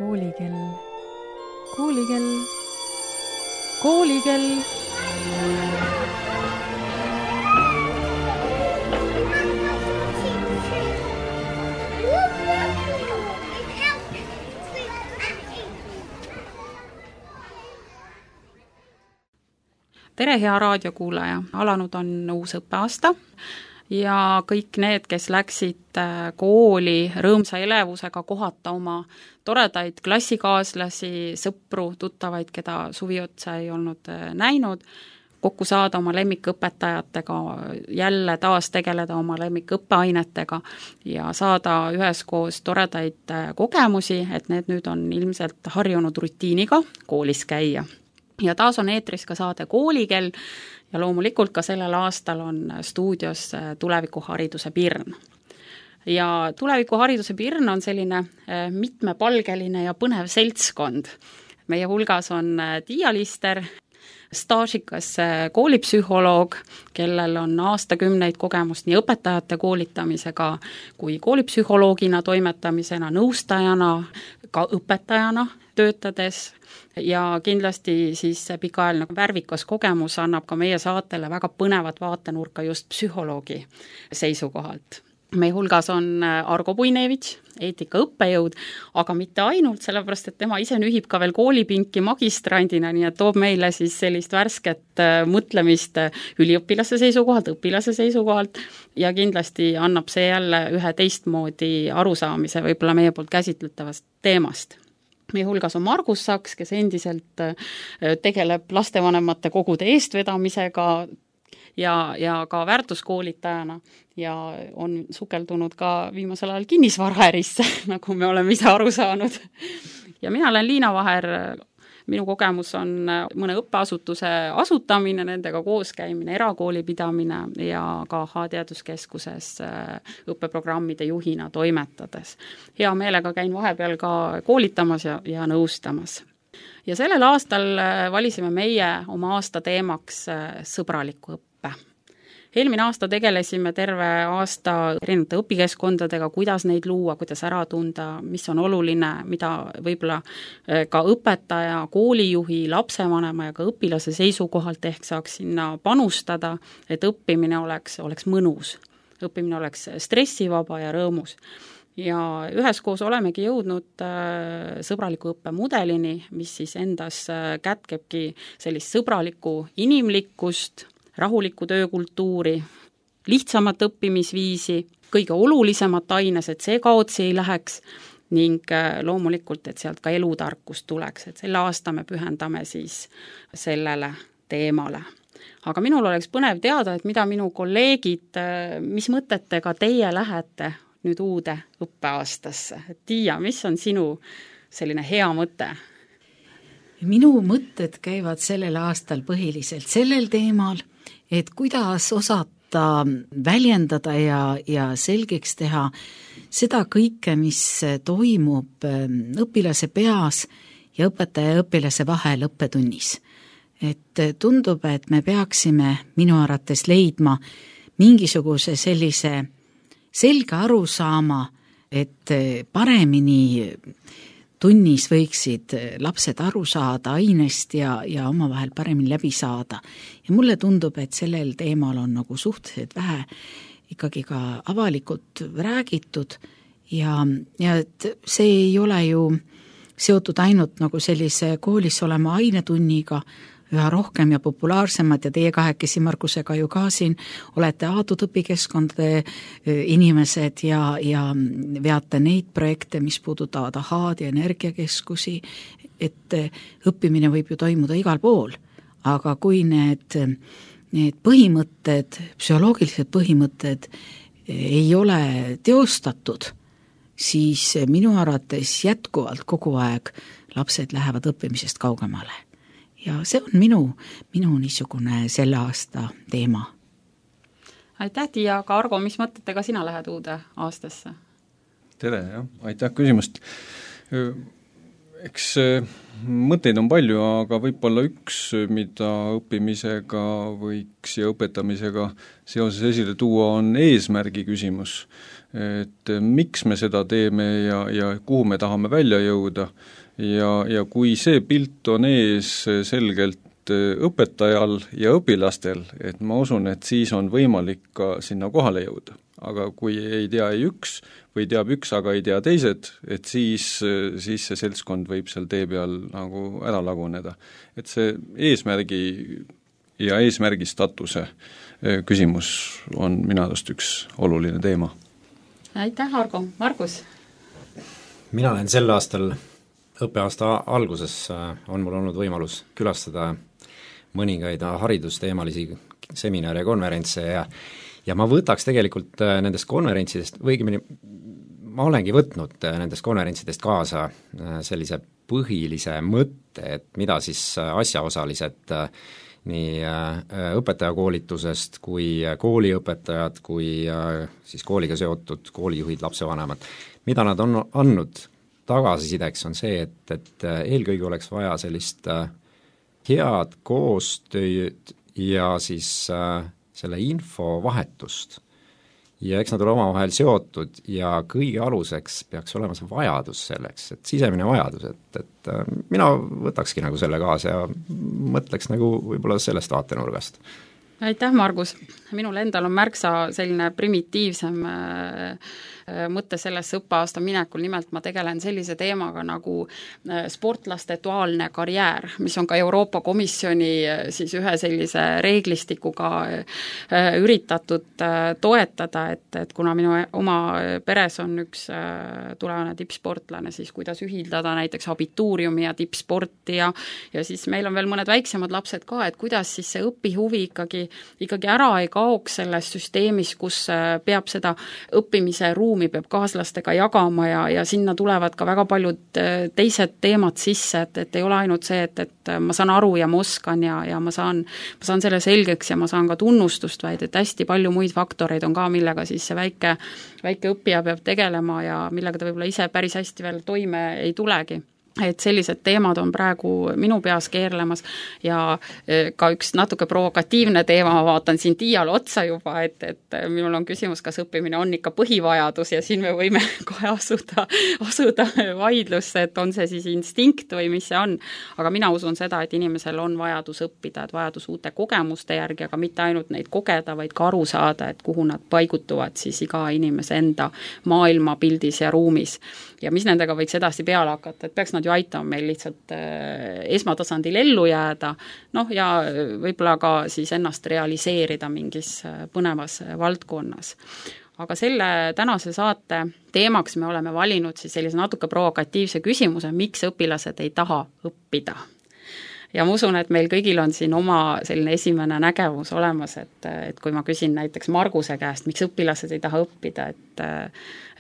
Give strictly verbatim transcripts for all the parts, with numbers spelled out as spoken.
Koolikell, koolikell, koolikell. Tere, hea raadiokuulaja! Alanud on uus õppeaasta ja kõik need, kes läksid kooli rõõmsa elevusega kohata oma toredaid klassikaaslasi, sõpru, tuttavaid, keda suvi otsa ei olnud näinud, kokku saada oma lemmikõpetajatega, jälle taas tegeleda oma lemmikõppeainetega ja saada üheskoos toredaid kogemusi, et need nüüd on ilmselt harjunud rutiiniga koolis käia. Ja taas on eetris ka saade Koolikell ja loomulikult ka sellel aastal on stuudios tulevikuhariduse pirn. Ja tulevikuhariduse pirn on selline mitmepalgeline ja põnev seltskond. Meie hulgas on Tiia Lister, staažikas koolipsühholoog, kellel on aastakümneid kogemust nii õpetajate koolitamisega kui koolipsühholoogina toimetamisena, nõustajana, ka õpetajana töötades ja kindlasti siis pikaajaline värvikas kogemus annab ka meie saatele väga põnevat vaatenurka just psühholoogi seisukohalt. Meie hulgas on Argo Puinevitš, eetika õppejõud, aga mitte ainult, sellepärast et tema ise nühib ka veel koolipinki magistrandina, nii et toob meile siis sellist värsket mõtlemist üliõpilase seisukohalt, õpilase seisukohalt ja kindlasti annab see jälle ühe teistmoodi arusaamise võib-olla meie poolt käsitletavast teemast. Meie hulgas on Margus Saks, kes endiselt tegeleb lastevanemate kogude eestvedamisega ja, ja ka väärtuskoolitajana ja on sukeldunud ka viimasel ajal kinnisvaraärisse, nagu me oleme ise aru saanud. Ja mina olen Liina Vaher, minu kogemus on mõne õppeasutuse asutamine, nendega kooskäimine, erakooli pidamine ja ka H-teaduskeskuses õppeprogrammide juhina toimetades. Hea meelega käin vahepeal ka koolitamas ja, ja nõustamas. Ja sellel aastal valisime meie oma aasta teemaks sõbraliku õppe. Eelmine aasta tegelesime terve aasta erinevate õpikeskkondadega, kuidas neid luua, kuidas ära tunda, mis on oluline, mida võib-olla ka õpetaja, koolijuhi, lapsevanema ja ka õpilase seisukohalt ehk saaks sinna panustada, et õppimine oleks, oleks mõnus, õppimine oleks stressivaba ja rõõmus. Ja üheskoos olemegi jõudnud sõbraliku õppemudelini, mis siis endas kätkebki sellist sõbralikku inimlikkust, rahulikku töökultuuri, lihtsamat õppimisviisi, kõige olulisemat aines, et see kaotsi ei läheks ning loomulikult, et sealt ka elutarkust tuleks, et selle aasta me pühendame siis sellele teemale. Aga minul oleks põnev teada, et mida minu kolleegid, mis mõtetega teie lähete nüüd uude õppeaastasse. Tiia, mis on sinu selline hea mõte? Minu mõtted käivad sellel aastal põhiliselt sellel teemal, et kuidas osata väljendada ja, ja selgeks teha seda kõike, mis toimub õpilase peas ja õpetaja ja õpilase vahel õppetunnis. Et tundub, et me peaksime minu arvates leidma mingisuguse sellise selge arusaama, et paremini tunnis võiksid lapsed aru saada ainest ja, ja omavahel paremini läbi saada. Ja mulle tundub, et sellel teemal on nagu suhteliselt vähe ikkagi ka avalikult räägitud ja, ja et see ei ole ju seotud ainult nagu sellise koolis olema ainetunniga, üha rohkem ja populaarsemad ja teie kahekesi Markusega ju ka siin olete aadud õpikeskkondade inimesed ja, ja veate neid projekte, mis puudutavad ahaad ja energiakeskusi, et õppimine võib ju toimuda igal pool, aga kui need, need põhimõtted, psühholoogilised põhimõtted ei ole teostatud, siis minu arvates jätkuvalt kogu aeg lapsed lähevad õppimisest kaugemale. Ja see on minu, minu niisugune selle aasta teema. Aitäh, Tiia, aga Argo, mis mõtetega sina lähed uude aastasse? Tere, jah. Aitäh küsimust. eks mõtteid on palju, aga võib-olla üks, mida õppimisega võiks ja õpetamisega seoses esile tuua, on eesmärgi küsimus. Et miks me seda teeme ja, ja kuhu me tahame välja jõuda ja, ja kui see pilt on ees selgelt õpetajal ja õpilastel, et ma usun, et siis on võimalik ka sinna kohale jõuda. Aga kui ei tea ei üks või teab üks, aga ei tea teised, et siis, siis see seltskond võib seal tee peal nagu ära laguneda. Et see eesmärgi ja eesmärgistatuse küsimus on minu arust üks oluline teema. Aitäh, Argo. Margus? Mina olen sel aastal, õppeaasta alguses on mul olnud võimalus külastada mõningaid haridusteemalisi seminare ja konverentse ja ja ma võtaks tegelikult nendest konverentsidest, või õigemini ma olengi võtnud nendest konverentsidest kaasa sellise põhilise mõtte, et mida siis asjaosalised nii õpetajakoolitusest kui kooliõpetajad, kui siis kooliga seotud koolijuhid, lapsevanemad, mida nad on andnud tagasisideks, on see, et, et eelkõige oleks vaja sellist head koostööd ja siis selle infovahetust. Ja eks nad ole omavahel seotud ja kõige aluseks peaks olema see vajadus selleks, et sisemine vajadus, et, et mina võtakski nagu selle kaasa ja mõtleks nagu võib-olla sellest vaatenurgast. Aitäh, Margus! Minul endal on märksa selline primitiivsem mõte sellesse õppeaasta minekul, nimelt ma tegelen sellise teemaga nagu sportlaste duaalne karjäär, mis on ka Euroopa Komisjoni siis ühe sellise reeglistikuga üritatud toetada, et, et kuna minu oma peres on üks tulevane tippsportlane, siis kuidas ühildada näiteks abituuriumi ja tippsporti ja, ja siis meil on veel mõned väiksemad lapsed ka, et kuidas siis see õpihuvi ikkagi, ikkagi ära ei kaoks selles süsteemis, kus peab seda õppimise ruumi peab kaaslastega jagama ja, ja sinna tulevad ka väga paljud teised teemad sisse, et, et ei ole ainult see, et, et ma saan aru ja ma oskan ja, ja ma saan, ma saan selle selgeks ja ma saan ka tunnustust, vaid et hästi palju muid faktoreid on ka, millega siis see väike, väike õppija peab tegelema ja millega ta võib-olla ise päris hästi veel toime ei tulegi. Et sellised teemad on praegu minu peas keerlemas ja ka üks natuke provokatiivne teema, ma vaatan siin Tiiale otsa juba, et, et minul on küsimus, kas õppimine on ikka põhivajadus ja siin me võime kohe asuda, asuda vaidlusse, et on see siis instinkt või mis see on. Aga mina usun seda, et inimesel on vajadus õppida, et vajadus uute kogemuste järgi, aga mitte ainult neid kogeda, vaid ka aru saada, et kuhu nad paigutuvad siis iga inimese enda maailmapildis ja ruumis. Ja mis nendega võiks edasi peale hakata, et peaks nad ju aitama meil lihtsalt esmatasandil ellu jääda, noh ja võib-olla ka siis ennast realiseerida mingis põnevas valdkonnas. Aga selle tänase saate teemaks me oleme valinud siis sellise natuke provokatiivse küsimuse, miks õpilased ei taha õppida. Ja ma usun, et meil kõigil on siin oma selline esimene nägemus olemas, et, et kui ma küsin näiteks Marguse käest, miks õpilased ei taha õppida, et,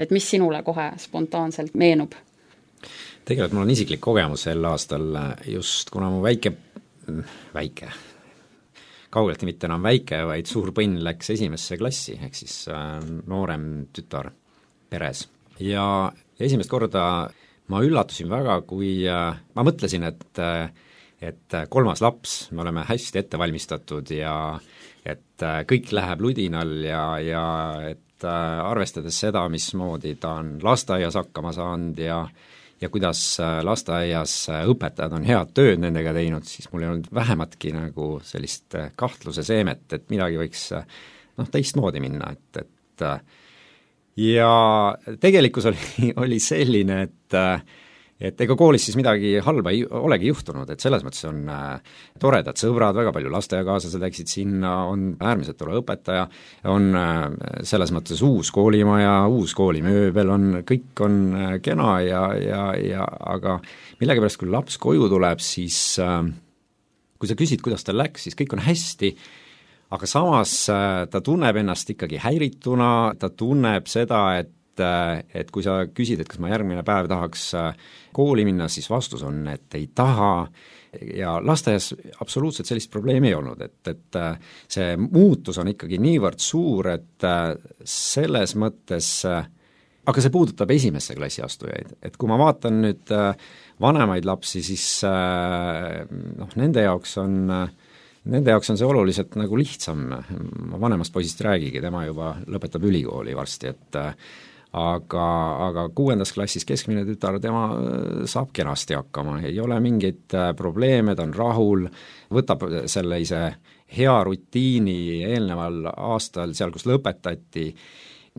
et mis sinule kohe spontaanselt meenub? Tegelikult mul on isiklik kogemus sel aastal just, kuna mu väike, väike, kaugeltki mitte enam väike, vaid suur põnn läks esimesse klassi, ehk siis noorem tütar peres. Ja esimest korda ma üllatusin väga, kui ma mõtlesin, et et kolmas laps, me oleme hästi ette valmistatud ja et kõik läheb ludinal ja, ja et arvestades seda, mismoodi ta on lasteaias hakkama saanud ja, ja kuidas lasteaias õpetajad on head tööd nendega teinud, siis mul ei olnud vähematki nagu sellist kahtluse seemet, et midagi võiks noh, teistmoodi minna, et, et ja tegelikkus oli, oli selline, et et ega koolis siis midagi halba ei olegi juhtunud, et selles mõttes on äh, toredad sõbrad, väga palju lasteaiakaaslased läksid sinna, on äärmiselt tore õpetaja, on äh, selles mõttes uus koolimaja, uus koolimööbel, on, kõik on äh, kena ja, ja, ja aga millegipärast, kui laps koju tuleb, siis äh, kui sa küsid, kuidas tal läks, siis kõik on hästi, aga samas äh, ta tunneb ennast ikkagi häirituna, ta tunneb seda, et et kui sa küsid, et kas ma järgmine päev tahaks kooli minna, siis vastus on, et ei taha ja lasteaias absoluutselt sellist probleemi ei olnud, et, et see muutus on ikkagi niivõrd suur, et selles mõttes aga see puudutab esimesse klassi astujaid, et kui ma vaatan nüüd vanemaid lapsi, siis noh, nende jaoks on, nende jaoks on see oluliselt nagu lihtsam, ma vanemast poisist räägigi, tema juba lõpetab ülikooli varsti, et aga, aga kuuendas klassis keskmine tütar, tema saab kenasti hakkama, ei ole mingeid probleeme, ta on rahul, võtab selle ise hea rutiini eelneval aastal, seal kus lõpetati,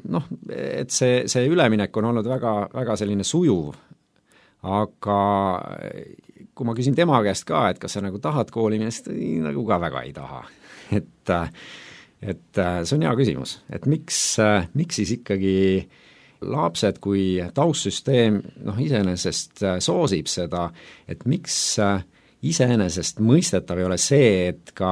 noh, et see, see üleminek on olnud väga, väga selline sujuv, aga kui ma küsin tema käest ka, et kas sa nagu tahad kooli minna, siis nagu ka väga ei taha. Et, et see on hea küsimus, et miks, miks siis ikkagi lapsed, kui taustsüsteem noh, iseenesest soosib seda, et miks iseenesest mõistetav ei ole see, et ka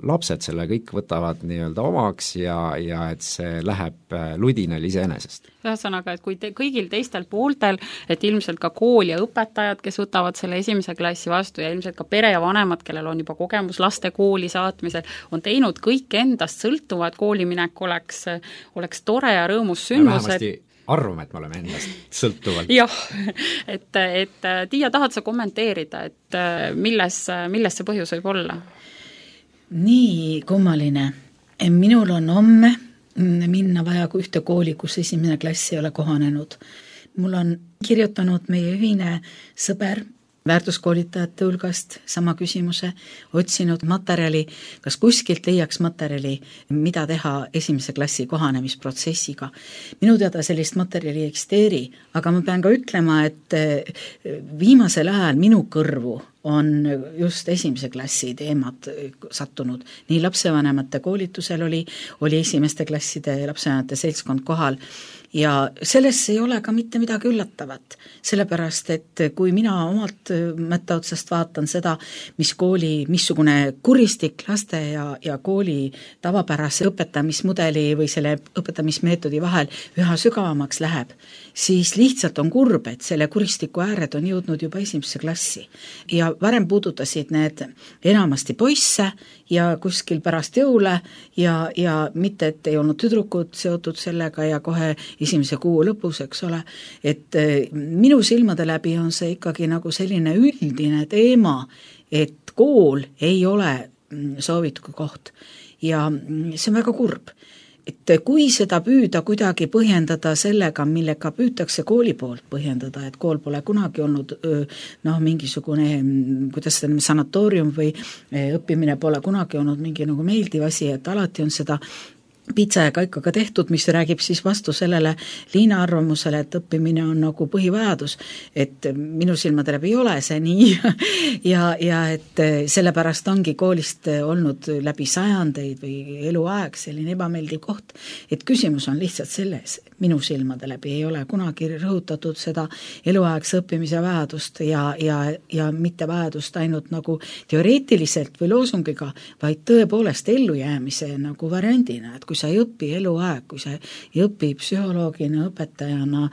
lapsed selle kõik võtavad nii-öelda omaks ja, ja et see läheb ludinal iseenesest. Ühesõnaga, et kui te, kõigil teistel pooltel, et ilmselt ka kool ja õpetajad, kes võtavad selle esimese klassi vastu ja ilmselt ka pere ja vanemad, kellel on juba kogemus laste kooli saatmisel, on teinud kõik endast sõltuva, et kooliminek oleks, oleks tore ja rõõmus sündmus, et arvame, et me oleme endast sõltuvalt. jah, et, et Tiia, tahad sa kommenteerida, et milles, milles see põhjus võib olla? Nii kummaline. Minul on homme minna vaja ühte kooli, kus esimene klass ei ole kohanenud. Mul on kirjutanud meie ühine sõber väärtuskoolitajate hulgast sama küsimuse, otsinud materjali, kas kuskilt leiaks materjali, mida teha esimese klassi kohanemisprotsessiga. Minu teada sellist materjali ei eksisteeri, aga ma pean ka ütlema, et viimasel ajal minu kõrvu on just esimese klassi teemad sattunud. Nii lapsevanemate koolitusel oli, oli esimeste klasside lapsevanemate seltskond kohal ja selles ei ole ka mitte midagi üllatavat, sellepärast et kui mina omalt mõtte otsast vaatan seda, mis kooli, missugune kuristik laste ja, ja kooli tavapärase õpetamismudeli või selle õpetamismeetodi vahel üha sügavamaks läheb, siis lihtsalt on kurb, et selle kuristiku ääred on jõudnud juba esimesse klassi ja varem puudutasid need enamasti poisse ja kuskil pärast jõule ja, ja mitte, et ei olnud tüdrukud seotud sellega ja kohe esimese kuu lõpus, eks ole, et minu silmade läbi on see ikkagi nagu selline üldine teema, et kool ei ole soovitud koht ja see on väga kurb. Et kui seda püüda kuidagi põhjendada sellega, millega püütakse kooli poolt põhjendada, et kool pole kunagi olnud noh, mingisugune, kuidas seda sanatoorium või õppimine pole kunagi olnud mingi nagu meeldiv asi, et alati on seda pitsa ja kaikaga tehtud, mis räägib siis vastu sellele Liina arvamusele, et õppimine on nagu põhivajadus, et minu silmade läbi ei ole see nii ja, ja et sellepärast ongi koolist olnud läbi sajandeid või eluaeg selline ebameeldiv koht, et küsimus on lihtsalt selles, minu silmade läbi ei ole kunagi rõhutatud seda eluaegse õppimise vajadust ja, ja, ja mitte vajadust ainult nagu teoreetiliselt või loosungiga, vaid tõepoolest ellujäämise nagu variandina, et kui sa ei õpi eluaeg, kui sa ei õpi psühholoogina, õpetajana,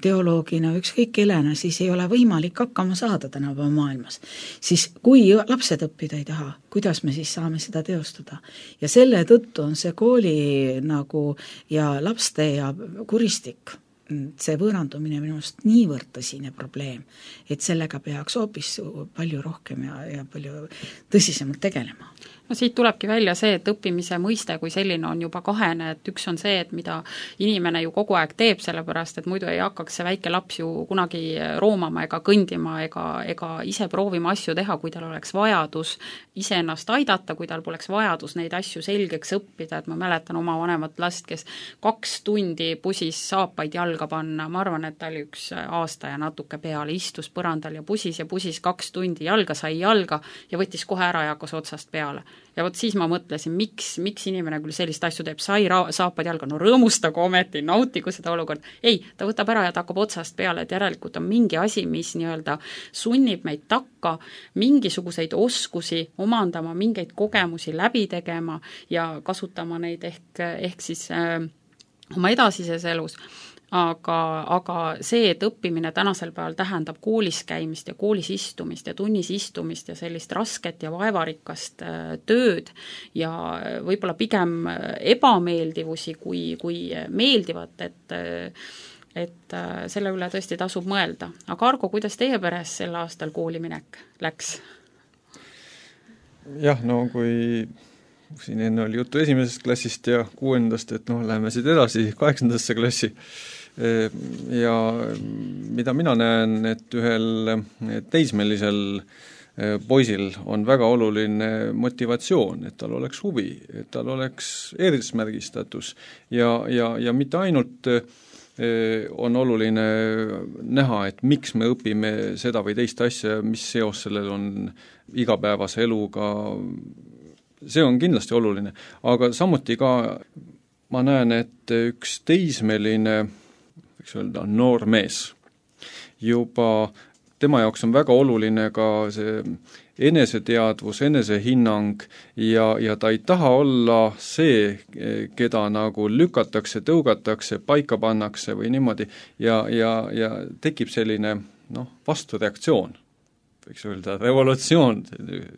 teoloogina, ükskõik kellena, siis ei ole võimalik hakkama saada tänapäeva maailmas. Siis kui lapsed õppida ei taha, kuidas me siis saame seda teostada? Ja selle tõttu on see kooli nagu ja lapste ja kuristik, see võõrandumine minust niivõrd tõsine probleem, et sellega peaks hoopis palju rohkem ja, ja palju tõsisemalt tegelema. No siit tulebki välja see, et õppimise mõiste kui selline on juba kahene, et üks on see, et mida inimene ju kogu aeg teeb, sellepärast et muidu ei hakkaks see väike laps ju kunagi roomama ega kõndima ega, ega ise proovima asju teha, kui tal oleks vajadus ise ennast aidata, kui tal poleks vajadus neid asju selgeks õppida, et ma mäletan oma vanemat last, kes kaks tundi pusis saapaid jalga panna, ma arvan, et ta oli üks aasta ja natuke peale, istus põrandal ja pusis ja pusis kaks tundi, jalga sai jalga ja võttis kohe ära ja hakkas otsast peale. Ja vot siis ma mõtlesin, miks, miks inimene küll sellist asju teeb, sai ra- saapad jalga, no rõõmustagu ometi, nautigu seda olukorda. Ei, ta võtab ära ja ta hakkab otsast peale, et järelikult on mingi asi, mis nii-öelda sunnib meid takka mingisuguseid oskusi omandama, mingeid kogemusi läbi tegema ja kasutama neid ehk, ehk siis äh, oma edasises elus. aga, aga see, et õppimine tänasel päeval tähendab koolis käimist ja koolis istumist ja tunnis istumist ja sellist rasket ja vaevarikast tööd ja võib-olla pigem ebameeldivusi kui, kui meeldivat, et et selle üle tõesti tasub mõelda. Aga Argo, kuidas teie peres sel aastal kooliminek läks? Jah, no kui siin enne oli juttu esimesest klassist ja kuuendast, et noh, läheme siit edasi kaheksandasse klassi ja mida mina näen, et ühel teismelisel poisil on väga oluline motivatsioon, et tal oleks huvi, et tal oleks eesmärgistatus ja, ja, ja mitte ainult on oluline näha, et miks me õpime seda või teist asja, mis seos sellel on igapäevase eluga, see on kindlasti oluline, aga samuti ka ma näen, et üks teismeline, võiks öelda, noor mees, juba tema jaoks on väga oluline ka see eneseteadvus, enesehinnang ja, ja ta ei taha olla see, keda nagu lükatakse, tõugatakse, paika pannakse või niimoodi ja, ja, ja tekib selline noh, vastureaktsioon, võiks öelda revolutsioon,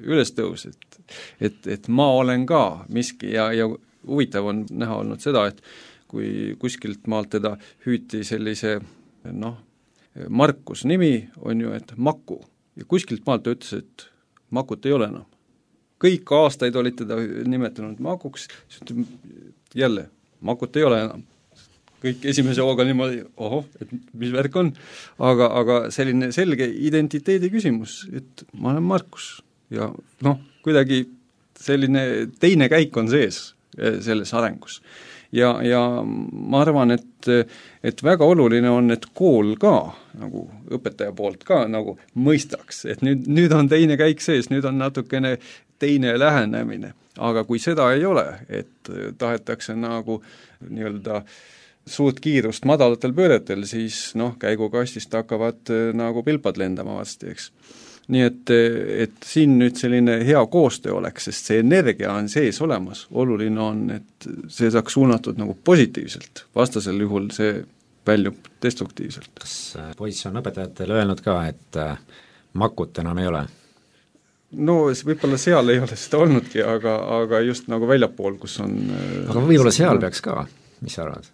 ülestõus, et, et, et ma olen ka miski ja, ja huvitav on näha olnud seda, et kui kuskilt maalt teda hüüti sellise noh, Markus nimi on ju, et Maku ja kuskilt maalt ta ütles, et Makut ei ole enam. Kõik aastaid olid teda nimetanud Makuks, jälle, Makut ei ole enam. Kõik esimese hooga niimoodi, ohoh, et mis värk on, aga, aga selline selge identiteedi küsimus, et ma olen Markus ja noh, kuidagi selline teine käik on sees selles arengus. Ja, ja ma arvan, et, et väga oluline on, et kool ka, nagu õpetaja poolt ka nagu mõistaks, et nüüd, nüüd on teine käik sees, nüüd on natukene teine lähenemine, aga kui seda ei ole, et tahetakse nagu nii-öelda suurt kiirust madalatel pööretel, siis noh, käigukastist hakkavad nagu pilpad lendama vasti, eks. Nii et, et siin nüüd selline hea koostöö oleks, sest see energia on sees olemas, oluline on, et see saaks suunatud nagu positiivselt, vastasel juhul see väljub destruktiivselt. Kas poiss on õpetajatele öelnud ka, et Makut enam ei ole? No võib-olla seal ei ole seda olnudki, aga, aga just nagu väljapool, kus on aga võib-olla seal peaks ka, mis sa arvad?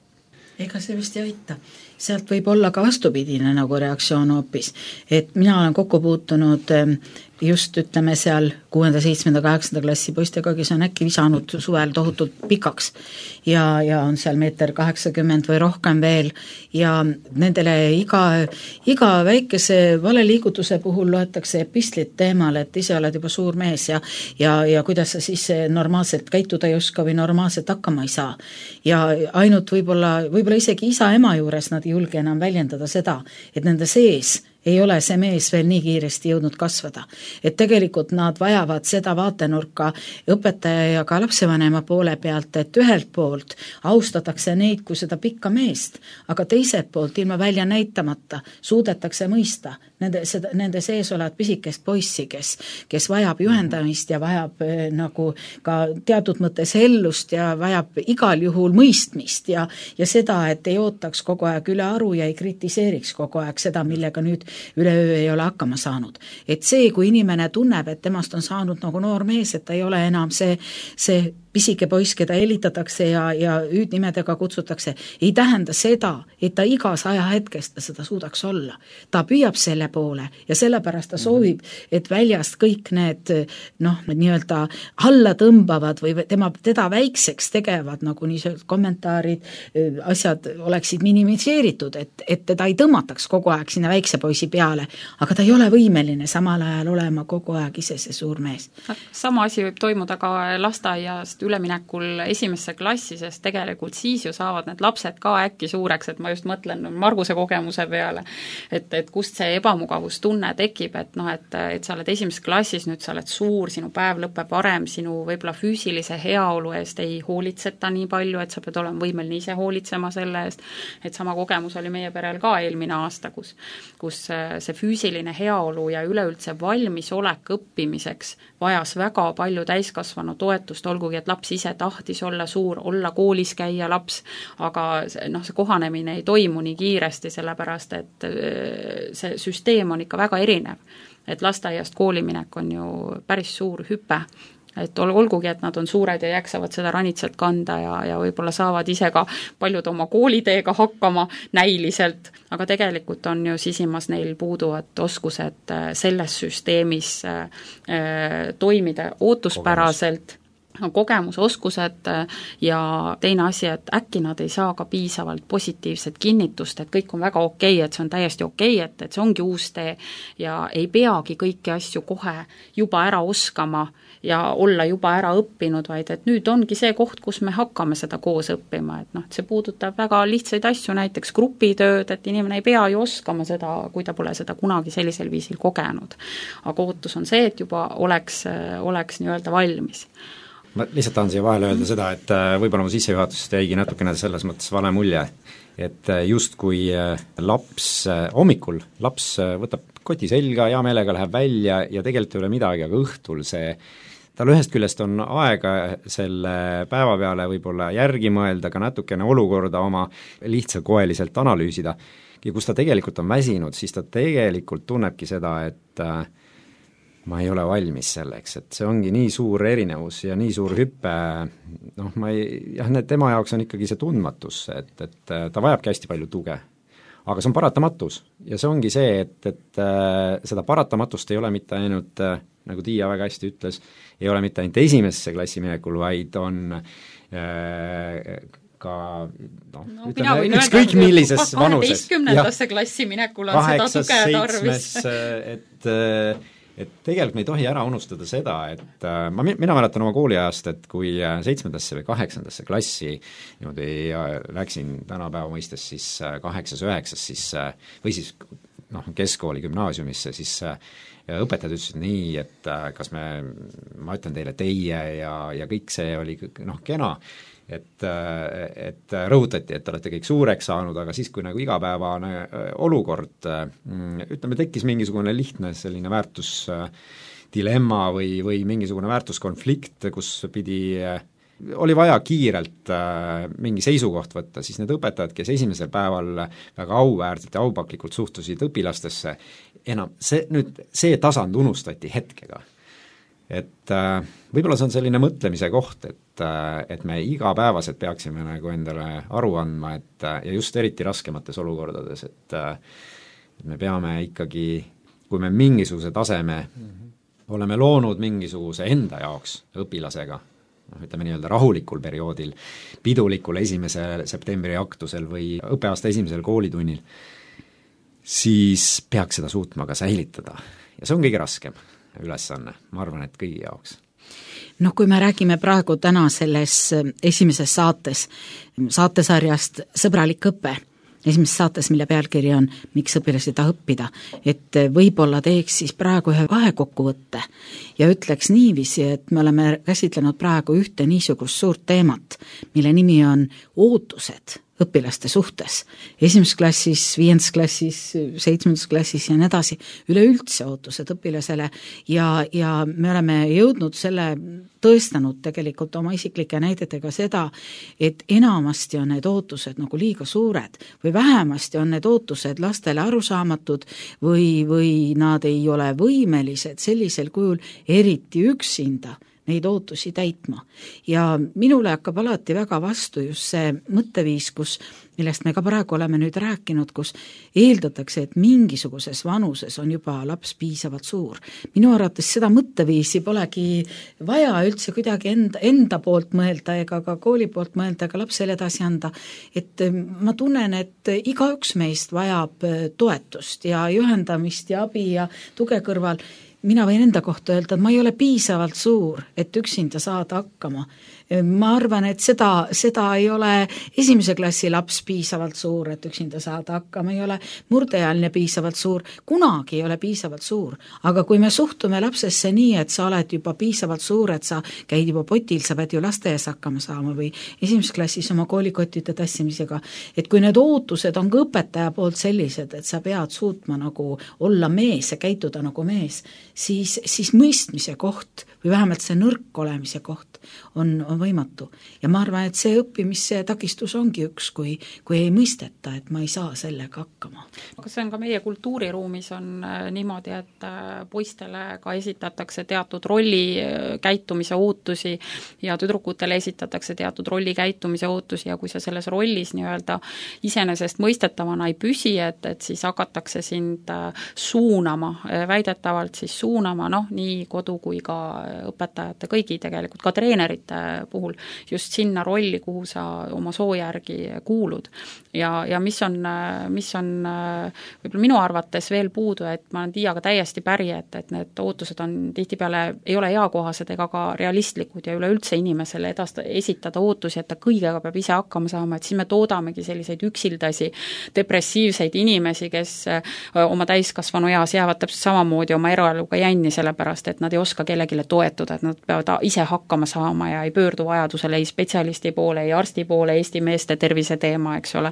Ega see vist ei aita. Sealt võib olla ka vastupidine nagu reaktsioon hoopis, et mina olen kokku puutunud just ütleme seal kuuenda, seitsmenda, kaheksanda klassi poistega, kes on äkki visanud suvel tohutult pikaks ja, ja on seal meeter kaheksakümmend või rohkem veel ja nendele iga, iga väikese valeliigutuse puhul loetakse epistlit teemal, et ise oled juba suur mees ja, ja, ja kuidas sa siis normaalselt käituda ei oska või normaalselt hakkama ei saa. Ja ainult võib-olla, võib-olla isegi isa-ema juures nad ei julge enam väljendada seda, et nende sees ei ole see mees veel nii kiiresti jõudnud kasvada. Et tegelikult nad vajavad seda vaatenurka õpetaja ja ka lapsevanema poole pealt, et ühelt poolt austatakse neid kui seda pikka meest, aga teiselt poolt ilma välja näitamata suudetakse mõista nende, seda, nende sees olevat pisikest poissi, kes, kes vajab juhendamist ja vajab eh, nagu ka teatud mõttes ellust ja vajab igal juhul mõistmist ja, ja seda, et ei ootaks kogu aeg üle aru ja ei kritiseeriks kogu aeg seda, millega nüüd üleöö ei ole hakkama saanud. Et see, kui inimene tunneb, et temast on saanud nagu noor mees, et ta ei ole enam see, see pisike poiss, keda helitatakse ja, ja hüüdnimedega kutsutakse, ei tähenda seda, et ta igas ajahetkest ta seda suudaks olla. Ta püüab selle poole ja sellepärast ta soovib, et väljast kõik need noh, nii-öelda alla tõmbavad või tema, teda väikseks tegevad, nagu niisugused kommentaarid, asjad oleksid minimiseeritud, et, et teda ei tõmmataks kogu aeg sinna väikse poisi peale, aga ta ei ole võimeline samal ajal olema kogu aeg ise see suur mees. Sama asi võib toimuda ka lasteaiast üleminekul esimesse klassi, sest tegelikult siis ju saavad need lapsed ka äkki suureks, et ma just mõtlen Marguse kogemuse peale, et, et kust see ebamugavustunne tekib, et noh, et, et sa oled esimeses klassis, nüüd sa oled suur, sinu päev lõpeb varem, sinu võib-olla füüsilise heaolu eest ei hoolitseta nii palju, et sa pead olema võimeline ise hoolitsema selle eest, et sama kogemus oli meie perel ka eelmine aasta, kus, kus see füüsiline heaolu ja üleüldse valmisolek õppimiseks vajas väga palju täiskasvanu toetust, olgugi et laps ise tahtis olla suur, olla koolis käia laps, aga noh, see kohanemine ei toimu nii kiiresti, sellepärast et see süsteem on ikka väga erinev. Et lasteaiast kooliminek on ju päris suur hüpe, et ol, olgugi, et nad on suured ja jäksavad seda ranitselt kanda ja, ja võib-olla saavad ise ka paljud oma kooliteega hakkama näiliselt, aga tegelikult on ju sisimas neil puuduvad oskused selles süsteemis äh, toimida ootuspäraselt, kogemus, oskused ja teine asi, et äkki nad ei saa ka piisavalt positiivset kinnitust, et kõik on väga okei, et see on täiesti okei, et, et see ongi uus tee ja ei peagi kõiki asju kohe juba ära oskama ja olla juba ära õppinud, vaid et nüüd ongi see koht, kus me hakkame seda koos õppima, et noh, see puudutab väga lihtsaid asju, näiteks grupitööd, et inimene ei pea ju oskama seda, kui ta pole seda kunagi sellisel viisil kogenud. Aga ootus on see, et juba oleks, oleks nii-öelda valmis. Ma lihtsalt tahan siia vahele öelda seda, et võib-olla mu sissejuhatusest jäigi natukene selles mõttes vale mulje, et just kui laps hommikul, laps võtab koti selga, hea meelega läheb välja ja tegelikult ei ole midagi, aga õhtul see, tal ühest küljest on aega selle päeva peale võib-olla järgi mõelda, ka natukene olukorda oma lihtsakoeliselt analüüsida, ja kus ta tegelikult on väsinud, siis ta tegelikult tunnebki seda, et ma ei ole valmis selleks, et see ongi nii suur erinevus ja nii suur hüppe, noh ma ei, jah, need tema jaoks on ikkagi see tundmatus, et, et ta vajabki hästi palju tuge. Aga see on paratamatus ja see ongi see, et, et äh, seda paratamatust ei ole mitte ainult, äh, nagu Tiia väga hästi ütles, ei ole mitte ainult esimesse klassi minekul, vaid on äh, ka noh no, ütleme, ükskõik millises vanuses. kaheteistkümnendasse klassi minekul on kaheksas, seda tuge tarvis. et äh, et tegelikult me ei tohi ära unustada seda, et äh, ma, mina mäletan oma kooliajast, et kui seitsmendasse või kaheksandasse klassi niimoodi läksin tänapäeva mõistes siis kaheksas, üheksas, siis või siis noh, keskkooli gümnaasiumisse, siis õpetajad ütlesid nii, et kas me, ma ütlen teile teie ja, ja kõik see oli noh, kena, et, et rõhutati, et te olete kõik suureks saanud, aga siis, kui nagu igapäevane olukord, ütleme, tekkis mingisugune lihtne selline väärtusdilemma või, või mingisugune väärtuskonflikt, kus pidi, oli vaja kiirelt mingi seisukoht võtta, siis need õpetajad, kes esimesel päeval väga auväärselt ja aupaklikult suhtusid õpilastesse, enam see, nüüd see tasand unustati hetkega. Et äh, võib-olla see on selline mõtlemise koht, et, äh, et me igapäevaselt peaksime nagu endale aru andma, et äh, ja just eriti raskemates olukordades, et, äh, et me peame ikkagi, kui me mingisuguse taseme mm-hmm. oleme loonud mingisuguse enda jaoks õpilasega, noh, ütleme nii-öelda rahulikul perioodil, pidulikul esimese septembri aktusel või õppeaasta esimesel koolitunnil, siis peaks seda suutma ka säilitada ja see on kõige raskem ülesanne, ma arvan, et kõigi jaoks. noh, kui me räägime praegu täna selles esimeses saates, saatesarjast Sõbralik õpe, esimeses saates, mille pealkiri on Miks õpilasi taha õppida, et võib-olla teeks siis praegu ühe vahekokkuvõtte ja ütleks niiviisi, et me oleme käsitlenud praegu ühte niisugust suurt teemat, mille nimi on ootused õpilaste suhtes, esimeses klassis, viiendas klassis, seitsmendas klassis ja nii edasi, üleüldse ootused õpilasele ja, ja me oleme jõudnud selle, tõestanud tegelikult oma isiklike näidetega seda, et enamasti on need ootused nagu liiga suured või vähemasti on need ootused lastele arusaamatud või, või nad ei ole võimelised sellisel kujul eriti üksinda neid ootusi täitma. Ja minule hakkab alati väga vastu just see mõtteviis, kus, millest me ka praegu oleme nüüd rääkinud, kus eeldatakse, et mingisuguses vanuses on juba laps piisavalt suur. Minu arvates seda mõtteviisi polegi vaja üldse kuidagi enda, enda poolt mõelda ega ka kooli poolt mõelda ega lapsele edasi anda. Et ma tunnen, et igaüks meist vajab toetust ja juhendamist ja abi ja tuge kõrval. Mina võin enda kohta öelda, et ma ei ole piisavalt suur, et üksinda saada hakkama. Ma arvan, et seda, seda ei ole esimese klassi laps piisavalt suur, et üksinda saada hakkama, ei ole murdeealine piisavalt suur, kunagi ei ole piisavalt suur. Aga kui me suhtume lapsesse nii, et sa oled juba piisavalt suur, et sa käid juba potil, sa pead ju lasteaias hakkama saama või esimeses klassis oma koolikottide tassimisega, et kui need ootused on ka õpetaja poolt sellised, et sa pead suutma nagu olla mees ja käituda nagu mees, siis, siis mõistmise koht või vähemalt see nõrk olemise koht on, on on võimatu. Ja ma arvan, et see õppimise takistus ongi üks, kui, kui ei mõisteta, et ma ei saa sellega hakkama. Aga see on ka meie kultuuriruumis on niimoodi, et poistele ka esitatakse teatud rolli käitumise ootusi ja tüdrukutele esitatakse teatud rolli käitumise ootusi ja kui sa selles rollis nii-öelda iseenesest mõistetavana ei püsi, et, et siis hakatakse sind suunama, väidetavalt siis suunama, noh, nii kodu kui ka õpetajate, kõigi tegelikult, ka treenerite puhul, just sinna rolli, kuhu sa oma soo järgi kuulud. Ja, ja mis on, mis on võib-olla minu arvates veel puudu, et ma olen Tiiaga täiesti päri, et, et need ootused on tihtipeale, ei ole eakohased ega ka realistlikud ja üleüldse inimesele edasta, esitada ootusi, et ta kõigega peab ise hakkama saama, et siis me toodamegi selliseid üksildasi, depressiivseid inimesi, kes oma täiskasvanu eas jäävad täpselt samamoodi oma eraeluga jänni, sellepärast, et nad ei oska kellegile toetuda, et nad peavad ise hakkama saama ja ei pöördu vajadusele ei spetsialisti poole, ei arsti poole, Eesti meeste tervise teema, eks ole,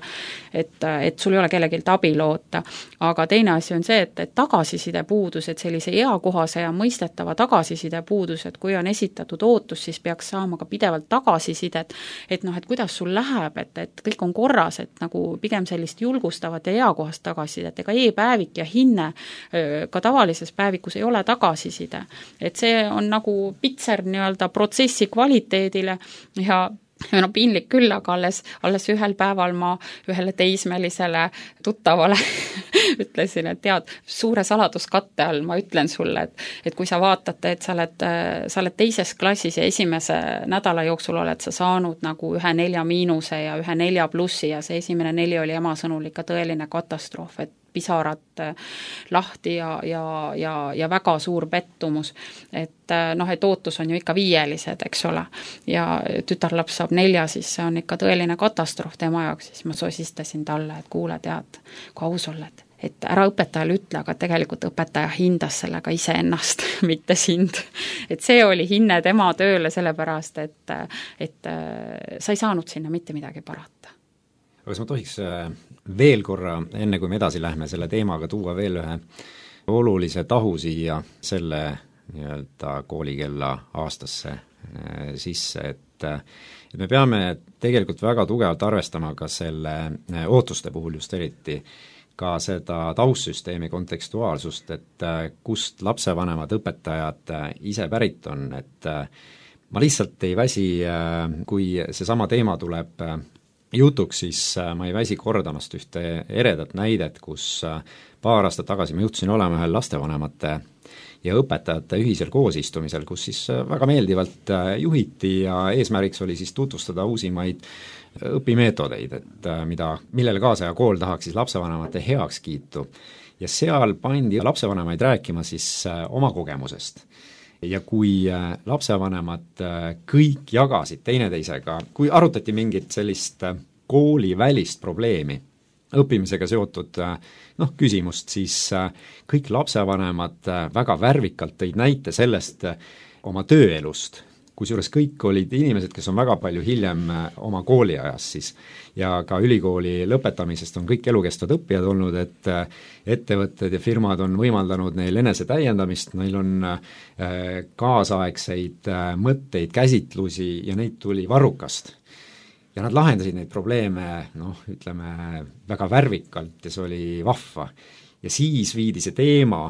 et, et sul ei ole kellegilt abi loota. Aga teine asi on see, et, et tagasiside puudus, et sellise eakohase ja mõistetava tagasiside puudus, et kui on esitatud ootus, siis peaks saama ka pidevalt tagasisidet, et noh, et kuidas sul läheb, et, et kõik on korras, et nagu pigem sellist julgustavat ja eakohast tagasisidet, ega e-päevik ja hinne ka tavalises päevikus ei ole tagasiside. Et see on nagu pitser nii-öelda protsessi kvaliteedile ja ja no piinlik küll, aga alles, alles ühel päeval ma ühele teismelisele tuttavale ütlesin, et tead, suure saladuskatte all ma ütlen sulle, et, et kui sa vaatate, et sa oled, sa oled teises klassis ja esimese nädala jooksul oled sa saanud nagu ühe nelja miinuse ja ühe nelja plussi ja see esimene neli oli ema sõnul ikka tõeline katastroof, et pisarat lahti ja, ja, ja, ja väga suur pettumus. Et noh, et ootus on ju ikka viielised, eks ole. Ja tütarlaps saab nelja, siis see on ikka tõeline katastroof tema jaoks, siis ma sosistasin talle, et kuule, tead, kui aus oled, et ära õpetajale ütle, aga tegelikult õpetaja hindas sellega ise ennast, mitte sind. Et see oli hinne tema tööle sellepärast, et, et sa ei saanud sinna mitte midagi parata. Aga kas ma tohiks veel korra, enne kui me edasi lähme selle teemaga, tuua veel ühe olulise tahu siia selle nii-öelda koolikella aastasse sisse, et, et me peame tegelikult väga tugevalt arvestama ka selle ootuste puhul just eriti ka seda taustsüsteemi kontekstuaalsust, et kust lapsevanemad, õpetajad ise pärit on, et ma lihtsalt ei väsi, kui seesama teema tuleb jutuks, siis ma ei väsi kordamast ühte eredat näidet, kus paar aastat tagasi ma juhtusin olema ühel lastevanemate ja õpetajate ühisel koosistumisel, kus siis väga meeldivalt juhiti ja eesmärgiks oli siis tutvustada uusimaid õpimeetodeid, et mida, millele kaasaja kool tahaks siis lapsevanemate heakskiitu. Ja seal pandi lapsevanemaid rääkima siis oma kogemusest. Ja kui lapsevanemad kõik jagasid teineteisega, kui arutati mingit sellist koolivälist probleemi, õppimisega seotud noh, küsimust, siis kõik lapsevanemad väga värvikalt tõid näite sellest oma tööelust, kusjuures kõik olid inimesed, kes on väga palju hiljem oma kooliajas siis ja ka ülikooli lõpetamisest on kõik elukestvad õppijad olnud, et ettevõtted ja firmad on võimaldanud neil enese täiendamist, neil on kaasaegseid mõtteid, käsitlusi ja neid tuli varrukast. Ja nad lahendasid neid probleeme, noh, ütleme, väga värvikalt ja see oli vahva. Ja siis viidi see teema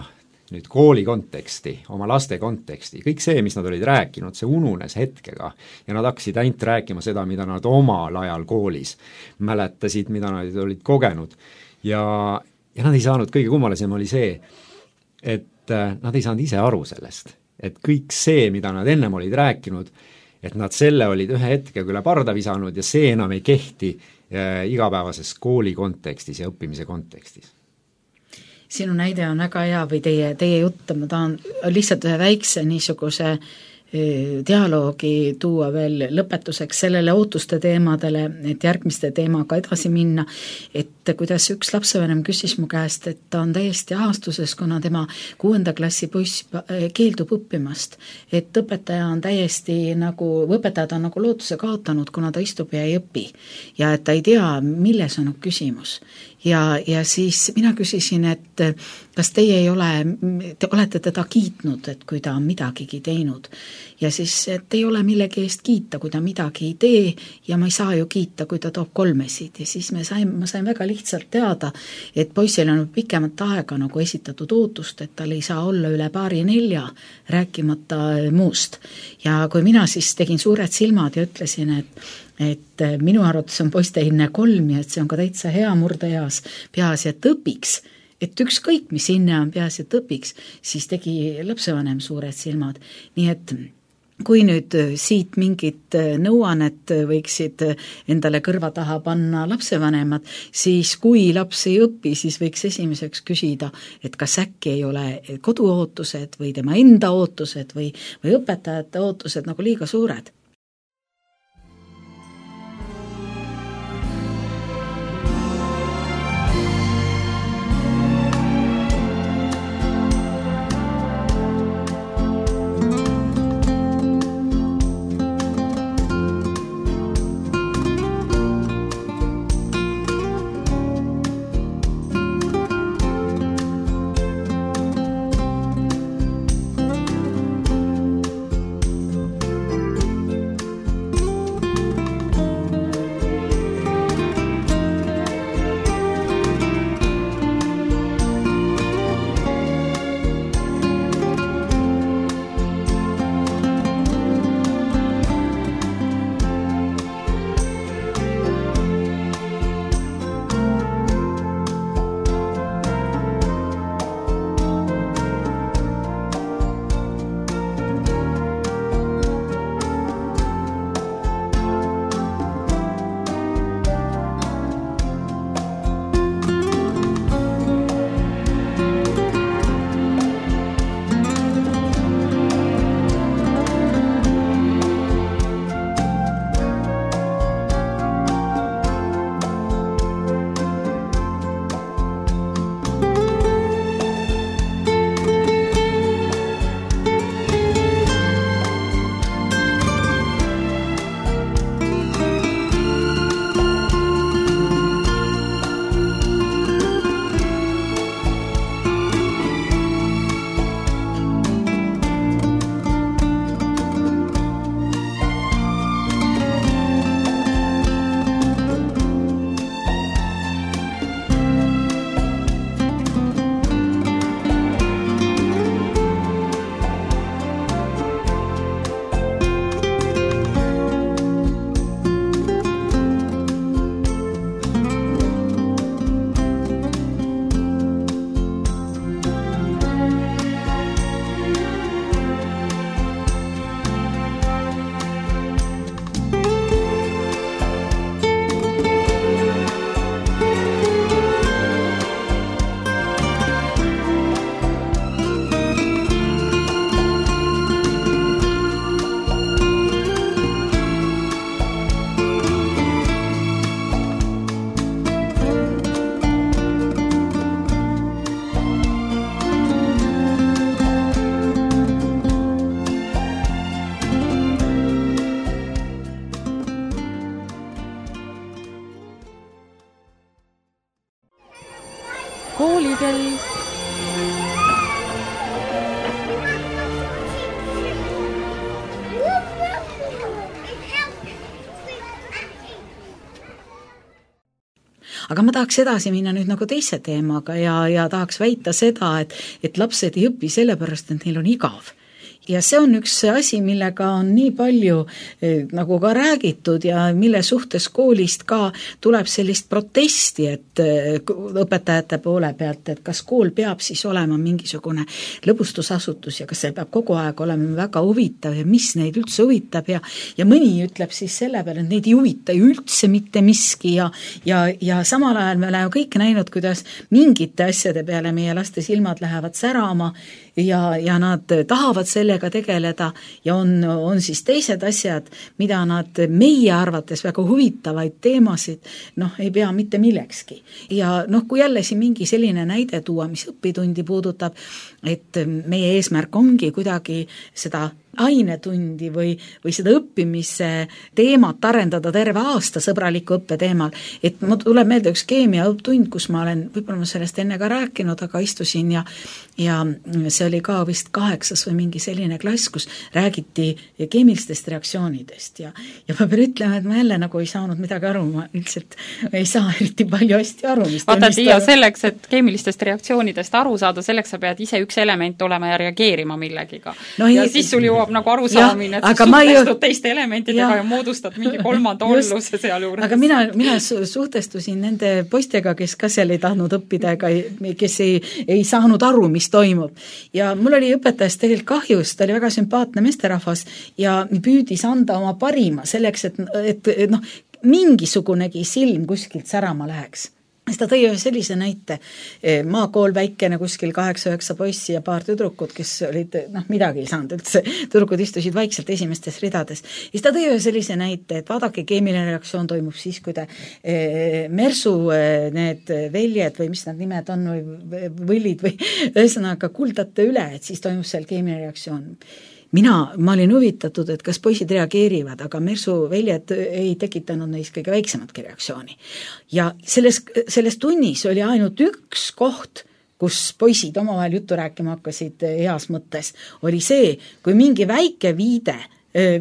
nüüd kooli konteksti, oma laste konteksti, kõik see, mis nad olid rääkinud, see ununes hetkega ja nad hakkasid ainult rääkima seda, mida nad omal ajal koolis mäletasid, mida nad olid kogenud ja, ja nad ei saanud, kõige kummalisem oli see, et nad ei saanud ise aru sellest, et kõik see, mida nad ennem olid rääkinud, et nad selle olid ühe hetkega üle parda visanud ja see enam ei kehti äh, igapäevases kooli kontekstis ja õppimise kontekstis. Sinu näide on väga hea või teie, teie jutt, ma tahan lihtsalt ühe väikse niisuguse dialoogi tuua veel lõpetuseks sellele ootuste teemadele, et järgmiste teemaga edasi minna, et et kuidas üks lapsevanem küsis mu käest, et ta on täiesti ahastuses, kuna tema kuuenda klassi poiss keeldub õppimast. Et õpetaja on täiesti nagu, õpetajad on nagu lootuse kaotanud, kuna ta istub ja ei õpi. Ja et ta ei tea, milles on küsimus. Ja, ja siis mina küsisin, et kas teie ei ole, te olete teda kiitnud, et kui ta on midagigi teinud. Ja siis, et ei ole millegi eest kiita, kui ta midagi ei tee ja ma ei saa ju kiita, kui ta toob kolmesid. Ja siis me sain, ma sain väga lihtsalt teada, et poisil on pikemat aega nagu esitatud ootust, et tal ei saa olla üle paari nelja, rääkimata muust. Ja kui mina siis tegin suured silmad ja ütlesin, et et minu arvates on poistehinne kolm ja et see on ka täitsa hea murdeeas, peaasi, et õpiks, et ükskõik, mis hinne on peaasi, et õpiks, siis tegi lapsevanem suured silmad. Nii et kui nüüd siit mingit nõuannet võiksid endale kõrva taha panna lapsevanemad, siis kui laps ei õpi, siis võiks esimeseks küsida, et kas äkki ei ole koduootused või tema enda ootused või, või õpetajate ootused nagu liiga suured. Koolikell. Aga ma tahaks edasi minna nüüd nagu teise teemaga ja, ja tahaks väita seda, et, et lapsed ei õpi sellepärast, et neil on igav. Ja see on üks asi, millega on nii palju eh, nagu ka räägitud ja mille suhtes koolist ka tuleb sellist protesti, et eh, õpetajate poole pealt, et kas kool peab siis olema mingisugune lõbustusasutus ja kas see peab kogu aeg olema väga huvitav ja mis neid üldse huvitab ja, ja mõni ütleb siis selle peale, et neid ei huvita ju üldse mitte miski ja, ja, ja samal ajal me oleme kõik näinud, kuidas mingite asjade peale meie laste silmad lähevad särama ja, ja nad tahavad selle sellega tegeleda ja on, on siis teised asjad, mida nad meie arvates väga huvitavaid teemasid, noh, ei pea mitte millekski. Ja noh, kui jälle siin mingi selline näide tuua, mis õpitundi puudutab, et meie eesmärk ongi kuidagi seda ainetundi või, või seda õppimise teemat arendada terve aasta sõbraliku õppe teemal. Et mul tuleb meelde üks keemia õpptund, kus ma olen, võib-olla ma sellest enne ka rääkinud, aga istusin ja, ja see oli ka vist kaheksas või mingi selline klass, kus räägiti keemilistest reaktsioonidest ja, ja ma pean ütlema, et ma jälle nagu ei saanud midagi aru, ma üldiselt ei saa eriti palju hästi aru. Vaata, Tiia, selleks, et keemilistest reaktsioonidest aru saada, selleks sa pead ise üks element olema ja reageerima millegiga. No, ja ei, siis sul jõuab nagu arusaamine, et sa suhtestud ju... teiste elementidega ja, ja moodustad mingi kolmanda olluse seal juures. Aga mina, mina suhtestusin nende poistega, kes ka seal ei tahtnud õppida ega kes ei, ei saanud aru, mis toimub. Ja mul oli õpetajast tegelikult kahjus, ta oli väga sümpaatne meesterahvas ja püüdis anda oma parima selleks, et, et, et noh, mingisugunegi silm kuskilt särama läheks. Siis ta tõi ühe sellise näite, maakool väikene kuskil kaheksa-üheksa poissi ja paar tüdrukut, kes olid, noh, midagi ei saanud üldse, tüdrukud istusid vaikselt esimestes ridades. Siis ta tõi ühe sellise näite, et vaadake, keemiline reaktsioon toimub siis, kui te e, mersu e, need väljed või mis need nimed on või võllid või ühesõnaga kuldate üle, et siis toimub seal keemiline reaktsioon. Mina, ma olin huvitatud, et kas poisid reageerivad, aga mersu väljed ei tekitanud neis kõige väiksematki reaktsiooni. Ja selles, selles tunnis oli ainult üks koht, kus poisid omavahel juttu rääkima hakkasid heas mõttes, oli see, kui mingi väike viide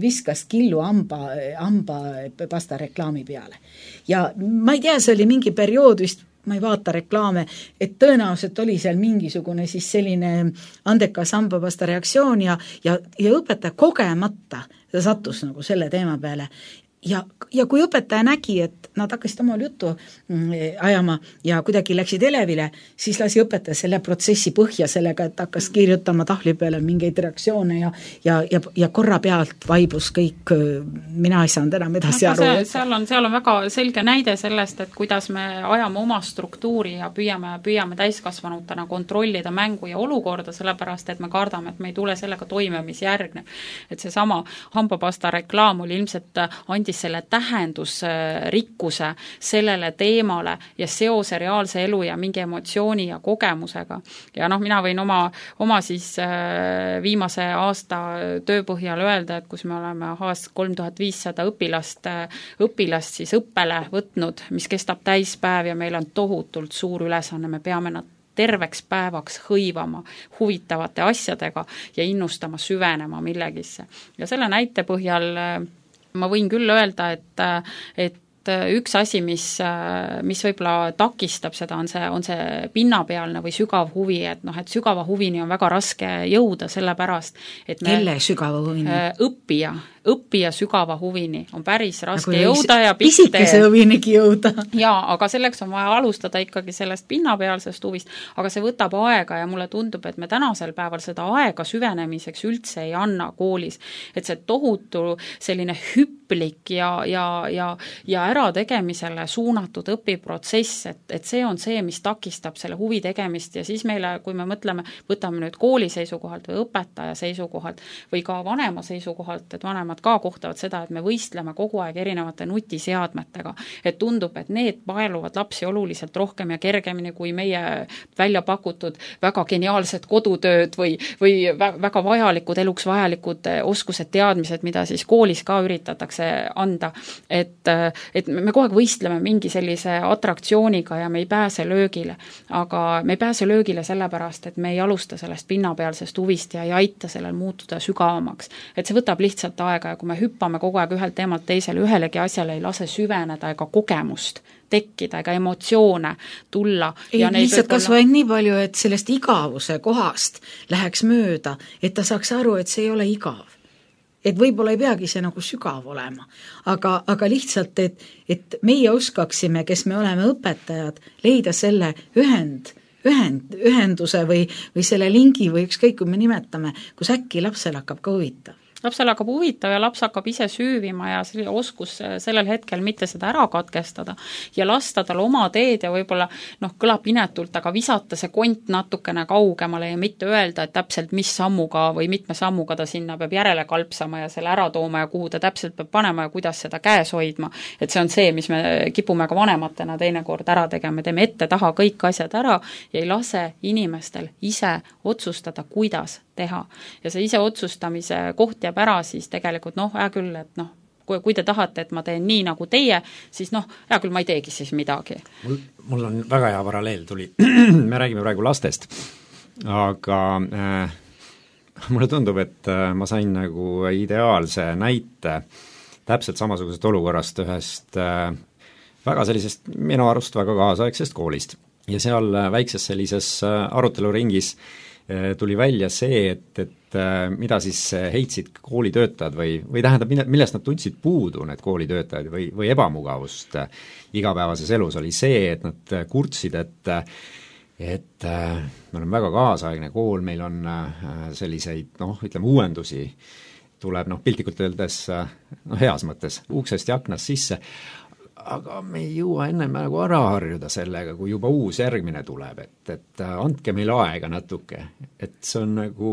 viskas killu amba, amba pasta reklaami peale. Ja ma ei tea, see oli mingi periood vist, ma ei vaata reklaame, et tõenäoliselt oli seal mingisugune siis selline andekas hambapasta reaktsioon ja, ja, ja õpetaja kogemata sattus nagu selle teema peale. Ja, ja kui õpetaja nägi, et nad hakkasid omal juttu ajama ja kuidagi läksid elevile, siis lasi õpetaja selle protsessi põhja sellega, et hakkas kirjutama tahvli peale mingeid reaktsioone ja, ja, ja, ja korra pealt vaibus kõik, mina ei saanud enam edasi aru. Seal on, seal on väga selge näide sellest, et kuidas me ajame oma struktuuri ja püüame, püüame täiskasvanutena kontrollida mängu ja olukorda, sellepärast, et me kardame, et me ei tule sellega toime, mis järgneb. Et see sama hambapasta reklaam oli ilmselt andis selle tähendusrikkuse sellele teemale ja seose reaalse elu ja mingi emotsiooni ja kogemusega. Ja noh, mina võin oma, oma siis viimase aasta tööpõhjal öelda, et kus me oleme haast kolm tuhat viissada õpilast, õpilast siis õppele võtnud, mis kestab täispäev ja meil on tohutult suur ülesanne, me peame nad terveks päevaks hõivama huvitavate asjadega ja innustama süvenema millegisse. Ja selle näite põhjal ma võin küll öelda, et, et üks asi, mis, mis võib-olla takistab seda, on see, on see pinnapealne või sügav huvi, et noh, et sügava huvini on väga raske jõuda, sellepärast, et me kelle sügava huvini? Õppija, õppija sügava huvini on päris raske nagu jõuda ja pisikese huvinigi jõuda. Jaa, aga selleks on vaja alustada ikkagi sellest pinnapealsest huvist, aga see võtab aega ja mulle tundub, et me tänasel päeval seda aega süvenemiseks üldse ei anna koolis. Et see tohutu selline hüplik ja, ja, ja, ja ärategemisele suunatud õpiprotsess, et, et see on see, mis takistab selle huvi tegemist ja siis meile, kui me mõtleme, võtame nüüd kooli seisukohalt või õpetaja seisukohalt või ka vanema seisukohalt, et vanemad ka kohtavad seda, et me võistleme kogu aeg erinevate nutiseadmetega, et tundub, et need paeluvad lapsi oluliselt rohkem ja kergemini kui meie välja pakutud väga geniaalsed kodutööd või, või väga vajalikud, eluks vajalikud oskused, teadmised, mida siis koolis ka üritatakse anda. Et, et me kogu aeg võistleme mingi sellise atraktsiooniga ja me ei pääse löögile, aga me ei pääse löögile sellepärast, et me ei alusta sellest pinnapealsest huvist ja ei aita sellel muutuda sügavamaks. Et see võtab lihtsalt aega ja kui me hüppame kogu aeg ühelt teemalt teisele, ühelegi asjale ei lase süveneda ega kogemust tekkida ega emotsioone tulla. Ei, ja lihtsalt kas vaid nii palju, et sellest igavuse kohast läheks mööda, et ta saaks aru, et see ei ole igav. Et võib-olla ei peagi see nagu sügav olema, aga, aga lihtsalt, et, et meie oskaksime, kes me oleme õpetajad, leida selle ühend, ühend, ühenduse või, või selle lingi või ükskõik, kui me nimetame, kus äkki lapsel hakkab ka huvitav. lapsele hakkab huvitav ja laps hakkab ise süüvima ja see oskus sellel hetkel mitte seda ära katkestada ja lasta tal oma teed ja võib-olla noh, kõlab inetult, aga visata see kont natukene kaugemale ja mitte öelda, et täpselt mis sammuga või mitme sammuga ta sinna peab järele kalpsama ja selle ära tooma ja kuhu ta täpselt peab panema ja kuidas seda käes hoidma. Et see on see, mis me kipume ka vanematena teinekord ära tegema, me teeme ette taha kõik asjad ära ja ei lase inimestel ise otsustada, kuidas teha. Ja see ise otsustamise koht jääb ära, siis tegelikult noh, hea küll, et noh, kui, kui te tahate, et ma teen nii nagu teie, siis noh, hea küll, ma ei teegi siis midagi. Mul, mul on väga hea paralleel tuli. Me räägime praegu lastest, aga äh, mulle tundub, et äh, ma sain nagu ideaalse näite täpselt samasugusest olukorrast ühest äh, väga sellisest minu arust väga kaasaegsest koolist. Ja seal väikses sellises aruteluringis tuli välja see, et, et mida siis heitsid koolitöötajad või, või tähendab, millest nad tundsid puudu, need koolitöötajad või, või ebamugavust igapäevases elus, oli see, et nad kurtsid, et et me oleme väga kaasaegne kool, meil on selliseid, noh, ütleme uuendusi, tuleb noh, piltlikult öeldes noh, heas mõttes uksest ja aknast sisse, aga me ei jõua ennem nagu ära harjuda sellega, kui juba uus järgmine tuleb, et, et andke meile aega natuke, et see on nagu,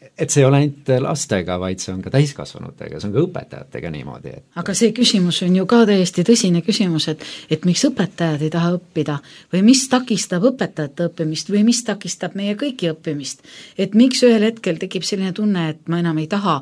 et see ei ole ainult lastega, vaid see on ka täiskasvanutega, see on ka õpetajatega niimoodi. Et... aga see küsimus on ju ka täiesti tõsine küsimus, et, et miks õpetajad ei taha õppida või mis takistab õpetajate õppimist või mis takistab meie kõiki õppimist, et miks ühel hetkel tekib selline tunne, et ma enam ei taha,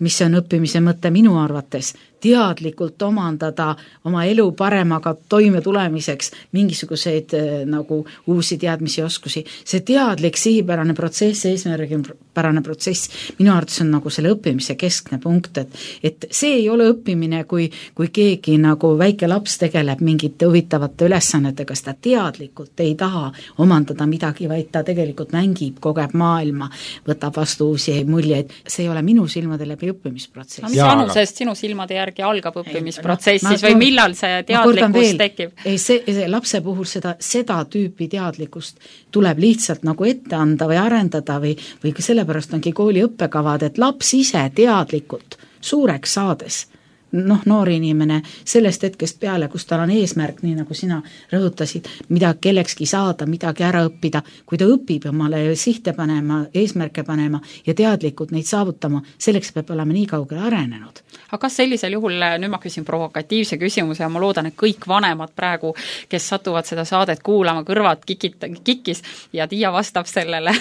mis on õppimise mõte minu arvates, teadlikult omandada oma elu paremaga toime tulemiseks mingisuguseid nagu uusi teadmisi ja oskusi. See teadlik sihipärane protsess, eesmärgipärane protsess, minu arvates on nagu selle õppimise keskne punkt, et, et see ei ole õppimine, kui, kui keegi nagu väike laps tegeleb mingite huvitavate ülesannetega, seda teadlikult ei taha omandada midagi, vaid ta tegelikult mängib, kogeb maailma, võtab vastu uusi muljeid. See ei ole minu silmade läbi õppimisprotsess. Mis vanusest sinu silmade järgi algab õppimisprotsess siis või millal see teadlikkus tekib? Ei, see, see lapse puhul seda, seda tüüpi teadlikkust tuleb lihtsalt nagu ette anda või arendada või, või sellepärast ongi kooli õppekavad, et laps ise teadlikult suureks saades noh, noor inimene sellest hetkest peale, kus tal on eesmärk, nii nagu sina rõhutasid, mida kellekski saada, midagi ära õppida, kui ta õpib omale sihte panema, eesmärke panema ja teadlikult neid saavutama, selleks peab olema nii kaugele arenenud. Aga kas sellisel juhul, nüüd ma küsin provokatiivse küsimuse ja ma loodan, et kõik vanemad praegu, kes satuvad seda saadet kuulama, kõrvad kikit, kikis ja Tiia vastab sellele,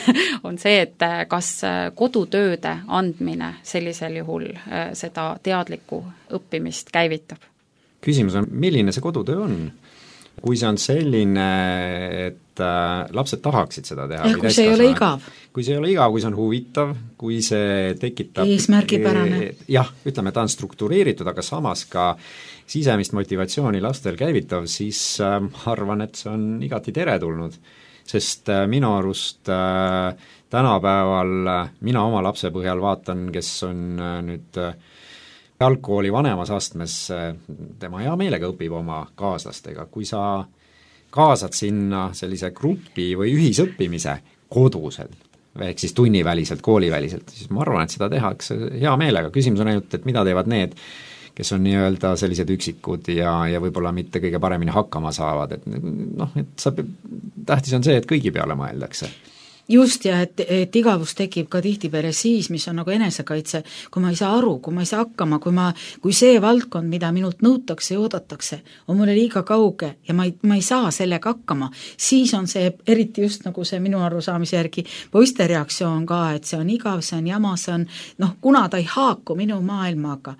on see, et kas kodutööde andmine sellisel juhul seda teadlikku õppimist käivitab? Küsimus on, milline see kodutöö on? Kui see on selline, et äh, lapsed tahaksid seda teha. Ja kui see ei ole igav. Kui see ei ole igav, kui see on huvitav, kui see tekitab... eesmärgipärane. Jah, ütleme, ta on struktureeritud, aga samas ka sisemist motivatsiooni lastel käivitav, siis äh, arvan, et see on igati teretulnud. Sest äh, minu arust äh, tänapäeval äh, mina oma lapse põhjal vaatan, kes on äh, nüüd... Äh, algkooli vanemas astmes, tema hea meelega õpib oma kaaslastega, kui sa kaasad sinna sellise grupi või ühisõppimise kodusel, ehk siis tunniväliselt, kooliväliselt, siis ma arvan, et seda tehakse hea meelega. Küsimus on ainult, et mida teevad need, kes on nii-öelda sellised üksikud ja, ja võib-olla mitte kõige paremini hakkama saavad, et noh, et sa, tähtis on see, et kõigi peale mõeldakse. Just ja et, et igavus tekib ka tihtipeale siis, mis on nagu enesekaitse, kui ma ei saa aru, kui ma ei saa hakkama, kui, ma, kui see valdkond, mida minult nõutakse ja oodatakse, on mulle liiga kauge ja ma ei, ma ei saa sellega hakkama, siis on see eriti just nagu see minu arusaamise järgi poiste reaktsioon ka, et see on igav, see on jama, see on noh, kuna ta ei haaku minu maailmaga.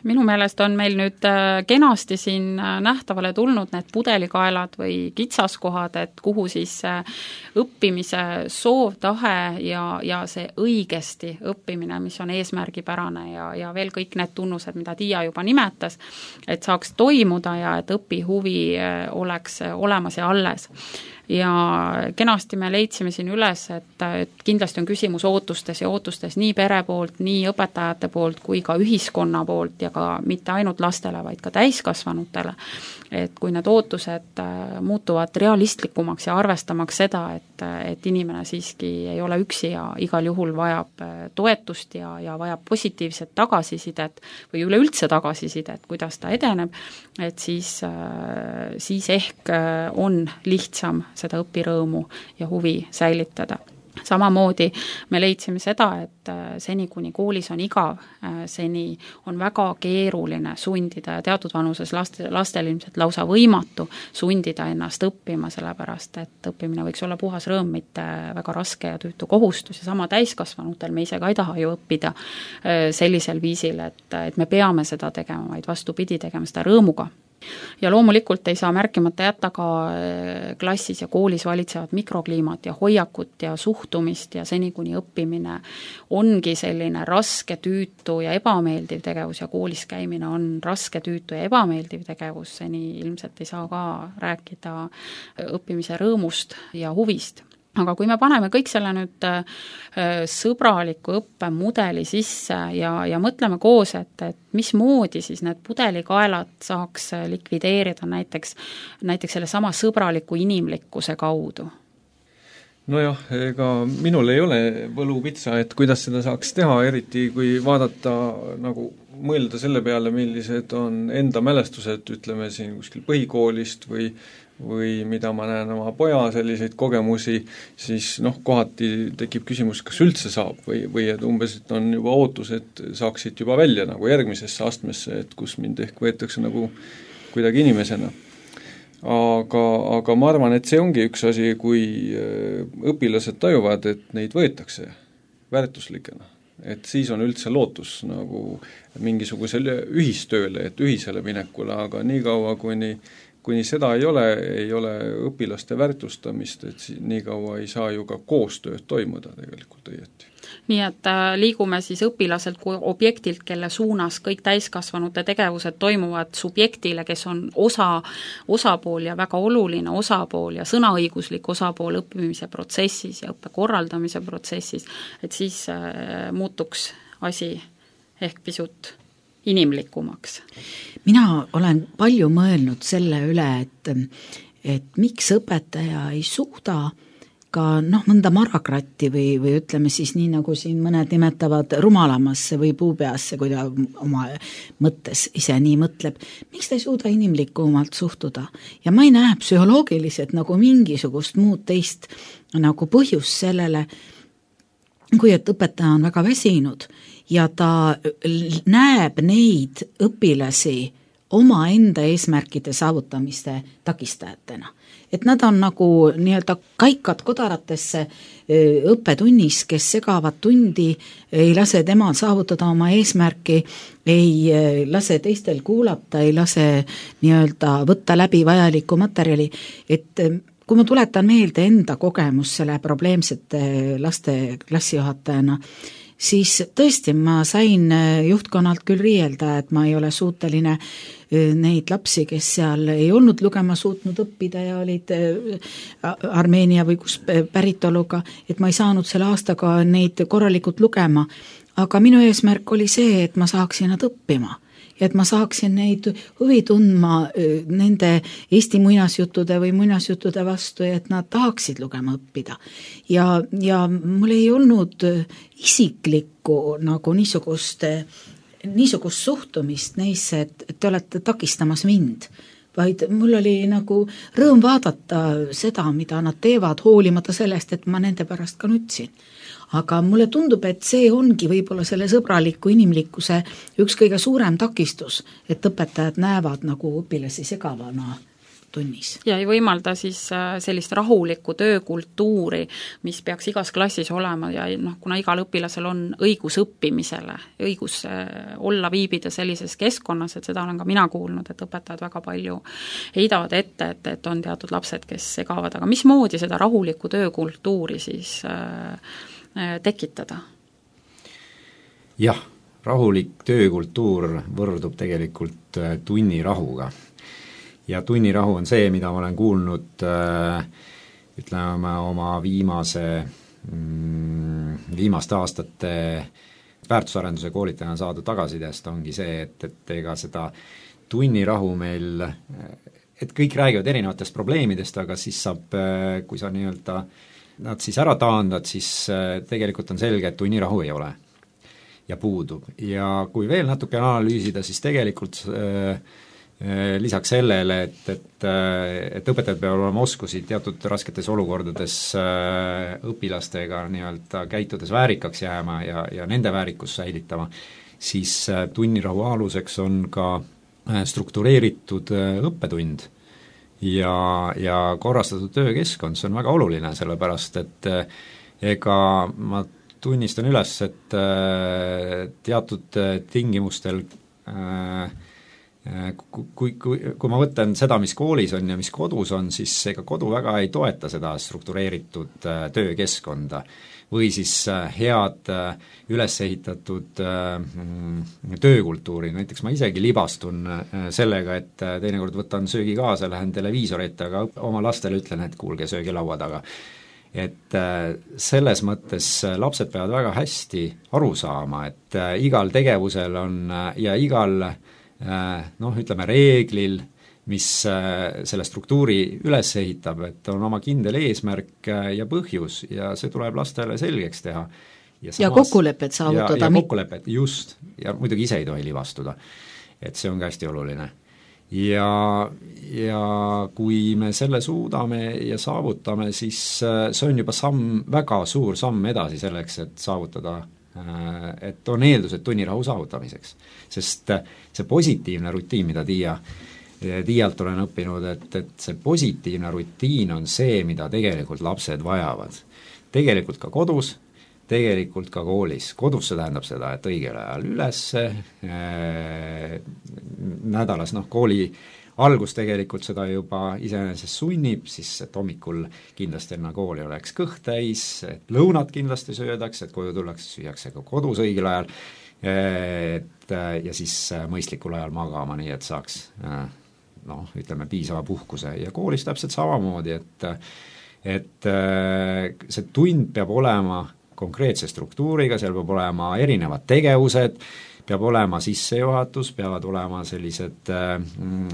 Minu meelest on meil nüüd kenasti siin nähtavale tulnud need pudelikaelad või kitsaskohad, et kuhu siis õppimise soov, tahe ja, ja see õigesti õppimine, mis on eesmärgipärane ja, ja veel kõik need tunnused, mida Tiia juba nimetas, et saaks toimuda ja et õpihuvi oleks olemas ja alles. ja kenasti me leidsime siin üles, et, et kindlasti on küsimus ootustes ja ootustes nii pere poolt, nii õpetajate poolt kui ka ühiskonna poolt ja ka mitte ainult lastele, vaid ka täiskasvanutele, et kui need ootused muutuvad realistlikumaks ja arvestamaks seda, et, et inimene siiski ei ole üksi ja igal juhul vajab toetust ja, ja vajab positiivset tagasisidet või üleüldse tagasisidet, kuidas ta edeneb, et siis, siis ehk on lihtsam seda õpirõõmu ja huvi säilitada. Samamoodi me leidsime seda, et seni, kuni koolis on igav, seni on väga keeruline sundida ja teatud vanuses laste, lastel ilmselt lausa võimatu sundida ennast õppima, sellepärast et õppimine võiks olla puhas rõõm, mitte väga raske ja tüütu kohustus ja sama täiskasvanutel, me ise ka ei taha ju õppida sellisel viisil, et, et me peame seda tegema, vaid vastupidi tegema seda rõõmuga. Ja loomulikult ei saa märkimata jätta ka klassis ja koolis valitsevad mikrokliimat ja hoiakut ja suhtumist ja seni, kuni õppimine ongi selline raske, tüütu ja ebameeldiv tegevus ja koolis käimine on raske, tüütu ja ebameeldiv tegevus, seni ilmselt ei saa ka rääkida õppimise rõõmust ja huvist. Aga kui me paneme kõik selle nüüd sõbraliku õppemudeli sisse ja, ja mõtleme koos, et, et mismoodi siis need pudelikaelad saaks likvideerida näiteks, näiteks selle sama sõbraliku inimlikkuse kaudu? Nojah, ega minul ei ole võlupitsa, et kuidas seda saaks teha, eriti kui vaadata nagu mõelda selle peale, millised on enda mälestused, ütleme siin kuskil põhikoolist või või mida ma näen oma poja selliseid kogemusi, siis noh, kohati tekib küsimus, kas üldse saab või, või et umbes, et on juba ootus, et saaksid juba välja nagu järgmisesse astmesse, et kus mind ehk võetakse nagu kuidagi inimesena. Aga, aga ma arvan, et see ongi üks asi, kui õpilased tajuvad, et neid võetakse väärtuslikena. Et siis on üldse lootus nagu mingisugusele ühistööle, et ühisele minekule, aga nii kaua, kuni kuni seda ei ole, ei ole õpilaste väärtustamist, et nii kaua ei saa ju ka koostööd toimuda tegelikult õieti. Nii et liigume siis õpilaselt kui objektilt, kelle suunas kõik täiskasvanute tegevused toimuvad subjektile, kes on osa, osapool ja väga oluline osapool ja sõnaõiguslik osapool õppimise protsessis ja õppe korraldamise protsessis, et siis muutuks asi ehk pisut inimlikumaks. Mina olen palju mõelnud selle üle, et, et miks õpetaja ei suuda ka noh, mõnda marakratti või, või ütleme siis nii, nagu siin mõned nimetavad rumalamasse või puupeasse, kui ta oma mõttes ise nii mõtleb, miks ta ei suuda inimlikumalt suhtuda. Ja ma ei näe psühholoogiliselt nagu mingisugust muud teist nagu põhjust sellele, kui et õpetaja on väga väsinud ja ta näeb neid õpilasi omaenda eesmärkide saavutamiste takistajatena. Et nad on nagu nii-öelda kaikad kodaratesse õppetunnis, kes segavad tundi, ei lase temal saavutada oma eesmärki, ei lase teistel kuulata, ei lase nii-öelda võtta läbi vajalikku materjali, et kui ma tuletan meelde enda kogemus selle probleemsete laste klassijuhatajana, siis tõesti ma sain juhtkonnalt küll riielda, et ma ei ole suuteline neid lapsi, kes seal ei olnud lugema suutnud õppida ja olid Armeenia või kus päritoluga, et ma ei saanud selle aastaga neid korralikult lugema, aga minu eesmärk oli see, et ma saaksin nad õppima. Ja et ma saaksin neid huvi tundma nende Eesti muinasjuttude või muinasjuttude vastu ja et nad tahaksid lugema õppida. Ja, ja mul ei olnud isiklikku nagu niisugust, niisugust suhtumist neisse, et te olete takistamas mind, vaid mul oli nagu rõõm vaadata seda, mida nad teevad, hoolimata sellest, et ma nende pärast ka nutsin. Aga mulle tundub, et see ongi võib-olla selle sõbraliku inimlikkuse üks kõige suurem takistus, et õpetajad näevad nagu õpilasi segavana tunnis. Ja ei võimalda siis sellist rahulikku töökultuuri, mis peaks igas klassis olema ja noh, kuna igal õpilasel on õigus õppimisele, õigus olla, viibida sellises keskkonnas, et seda olen ka mina kuulnud, et õpetajad väga palju heidavad ette, et, et on teatud lapsed, kes segavad, aga mismoodi seda rahulikku töökultuuri siis äh, tekitada? Jah, rahulik töökultuur võrdub tegelikult tunnirahuga. Ja tunnirahu on see, mida ma olen kuulnud äh, ütleme, oma viimase, mm, viimaste aastate väärtusarenduse koolitajana saadud tagasisidest ongi see, et, et ega seda tunnirahu meil, et kõik räägivad erinevatest probleemidest, aga siis saab, kui sa nii-öelda nad siis ära taandad, siis tegelikult on selge, et tunnirahu ei ole ja puudub. Ja kui veel natuke analüüsida, siis tegelikult äh, lisaks sellele, et, et, et õpetajad peavad olema oskusi teatud rasketes olukordades äh, õpilastega nii-öelda käitudes väärikaks jääma ja, ja nende väärikust säilitama, siis äh, tunnirahu aluseks on ka äh, struktureeritud äh, õppetund ja, ja korrastatud töökeskkond, see on väga oluline, sellepärast et äh, ega ma tunnistan üles, et äh, teatud äh, tingimustel äh, Kui, kui, kui ma võtan seda, mis koolis on ja mis kodus on, siis ega kodu väga ei toeta seda struktureeritud töökeskkonda või siis head üles ehitatud töökultuuri, näiteks ma isegi libastun sellega, et teinekord võtan söögi kaasa, lähen televiisori ette, aga oma lastele ütlen, et kuulge, söögi laua taga. Et selles mõttes lapsed peavad väga hästi aru saama, et igal tegevusel on ja igal noh, ütleme reeglil, mis selle struktuuri üles ehitab, et on oma kindel eesmärk ja põhjus ja see tuleb lastele selgeks teha. Ja, samas, ja kokkulepet saavutada. Ja, ja kokkulepet, just, ja muidugi ise ei tohi libastuda. Et see on ka hästi oluline. Ja, ja kui me selle suudame ja saavutame, siis see on juba samm, väga suur samm edasi selleks, et saavutada et on eeldused tunnirahu saavutamiseks. Sest see positiivne rutiin, mida Tiia, Tiialt olen õppinud, et, et see positiivne rutiin on see, mida tegelikult lapsed vajavad. Tegelikult ka kodus, tegelikult ka koolis. Kodus see tähendab seda, et õigel ajal üles, äh, nädalas, noh, kooli algus tegelikult seda juba iseenesest sunnib, siis et hommikul kindlasti enne kooli oleks kõht täis, et lõunad kindlasti söödaks, et koju tullakse, süüakse ka kodus õigel ajal, et ja siis mõistlikul ajal magama, nii et saaks noh, ütleme piisava puhkuse ja koolis täpselt samamoodi, et et see tund peab olema konkreetse struktuuriga, seal peab olema erinevad tegevused, peab olema sissejuhatus, peavad olema sellised äh,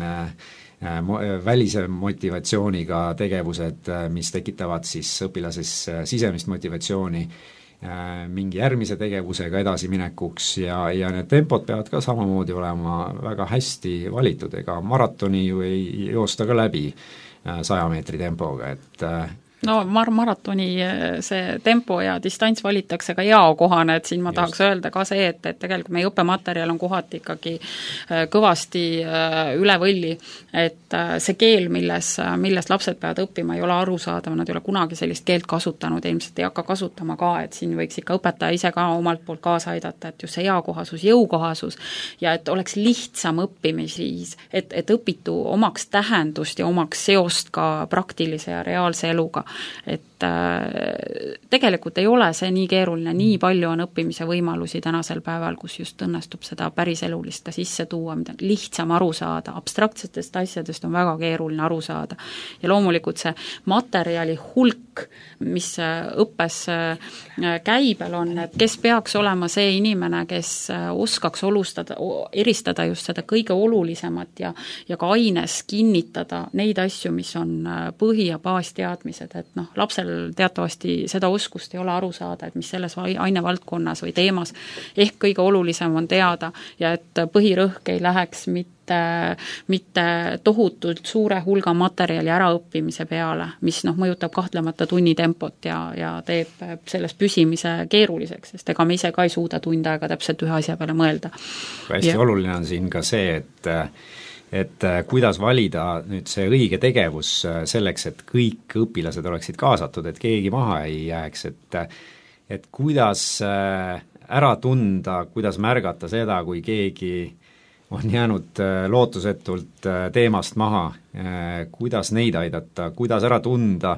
äh, välise motivatsiooniga tegevused, mis tekitavad siis õpilases sisemist motivatsiooni äh, mingi järgmise tegevusega edasiminekuks ja, ja need tempod peavad ka samamoodi olema väga hästi valitud, ega maratoni ju ei joosta ka läbi saja meetri tempoga, et äh, no mar-, maratoni see tempo ja distants valitakse ka jaokohane, et siin ma Just. tahaks öelda ka see, et, et tegelikult meie õppematerjal on kohati ikkagi kõvasti üle võlli, et see keel, milles, milles lapsed peavad õppima, ei ole arusaadav, nad ei ole kunagi sellist keelt kasutanud, ilmselt ei hakka kasutama ka, et siin võiks ikka õpetaja ise ka omalt poolt kaasa aidata, et just see jaokohasus, jõukohasus ja et oleks lihtsam õppimisviis, et, et õpitu omaks tähendust ja omaks seost ka praktilise ja reaalse eluga. Et äh, tegelikult ei ole see nii keeruline, nii palju on õppimise võimalusi tänasel päeval, kus just õnnestub seda päris elulist ka sisse tuua, mida lihtsam aru saada, abstraktsetest asjadest on väga keeruline aru saada. Ja loomulikult see materjali hulk, mis õppes käibel on, et kes peaks olema see inimene, kes oskaks olustada, eristada just seda kõige olulisemat ja, ja ka aines kinnitada neid asju, mis on põhi- ja baasteadmised, et noh, lapsel teatavasti seda oskust ei ole aru saada, et mis selles ainevaldkonnas või teemas ehk kõige olulisem on teada ja et põhirõhk ei läheks mitte mitte tohutult suure hulga materjali äraõppimise peale, mis noh, mõjutab kahtlemata tunnitempot ja, ja teeb selles püsimise keeruliseks, sest ega me ise ka ei suuda tund aega täpselt ühe asja peale mõelda. Hästi ja. Oluline on siin ka see, et et kuidas valida nüüd see õige tegevus selleks, et kõik õpilased oleksid kaasatud, et keegi maha ei jääks, et et kuidas ära tunda, kuidas märgata seda, kui keegi on jäänud lootusetult teemast maha, kuidas neid aidata, kuidas ära tunda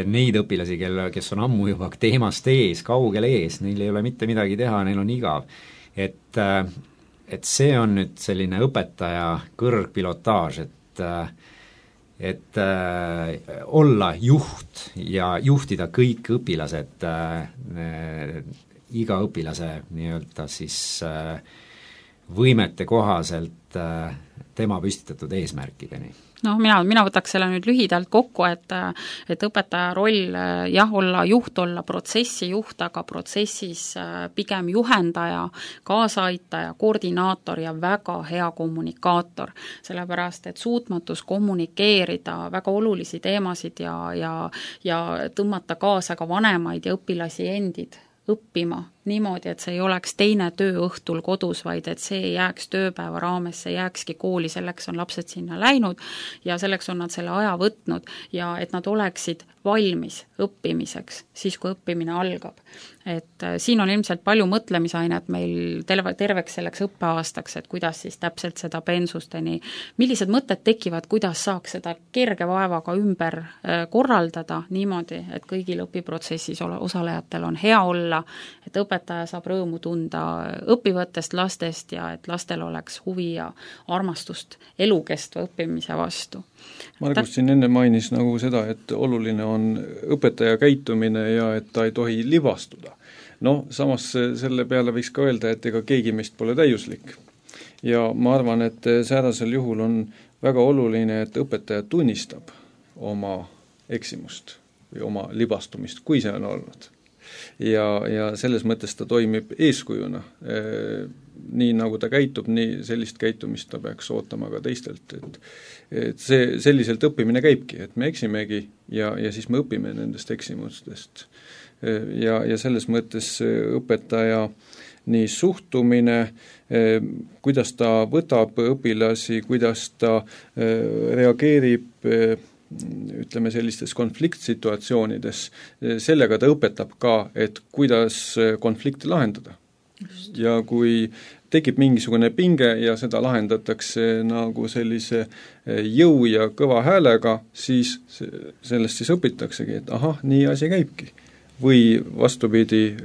neid õpilasi, kel, kes on ammu juba teemast ees, kaugel ees, neil ei ole mitte midagi teha, neil on igav. Et, et see on nüüd selline õpetaja kõrgpilotaaž, et et äh, olla juht ja juhtida kõik õpilased äh, iga õpilase nii-öelda siis äh, võimete kohaselt äh, tema püstitatud eesmärkideni. No mina, mina võtaks selle nüüd lühidalt kokku, et et õpetaja roll jah, olla juht, olla protsessi juht, aga protsessis pigem juhendaja, kaasaaitaja, koordinaator ja väga hea kommunikaator, sellepärast et suutmatus kommunikeerida väga olulisi teemasid ja, ja, ja tõmmata kaasa ka vanemaid ja õpilasi endid õppima niimoodi, et see ei oleks teine töö õhtul kodus, vaid et see ei jääks tööpäeva raames, see jääkski kooli, selleks on lapsed sinna läinud ja selleks on nad selle aja võtnud ja et nad oleksid valmis õppimiseks, siis kui õppimine algab. Et siin on ilmselt palju mõtlemisainet meil terve, terveks selleks õppeaastaks, et kuidas siis täpselt seda pensusteni, millised mõtted tekivad, kuidas saaks seda kerge vaevaga ümber korraldada niimoodi, et kõigil õpiprotsessis osalejatel on hea olla, et õpetaja saab rõõmu tunda õppivatest lastest ja et lastel oleks huvi ja armastust elukestva õppimise vastu. Margus siin enne mainis nagu seda, et oluline on õpetaja käitumine ja et ta ei tohi libastuda. No samas selle peale võiks ka öelda, et ega keegi meist pole täiuslik. Ja ma arvan, et säärasel juhul on väga oluline, et õpetaja tunnistab oma eksimust või oma libastumist, kui see on olnud. Ja, ja selles mõttes ta toimib eeskujuna. Nii nagu ta käitub, nii sellist käitumist ta peaks ootama ka teistelt, et, et see, selliselt õppimine käibki, et me eksimegi ja, ja siis me õpime nendest eksimustest. Ja, ja selles mõttes õpetaja nii suhtumine, kuidas ta võtab õpilasi, kuidas ta reageerib ütleme sellistes konfliktsituatsioonides, sellega ta õpetab ka, et kuidas konflikti lahendada. Just. Ja kui tekib mingisugune pinge ja seda lahendatakse nagu sellise jõu ja kõva häälega, siis sellest siis õpitaksegi, et ahah, nii asi käibki. Või vastupidi,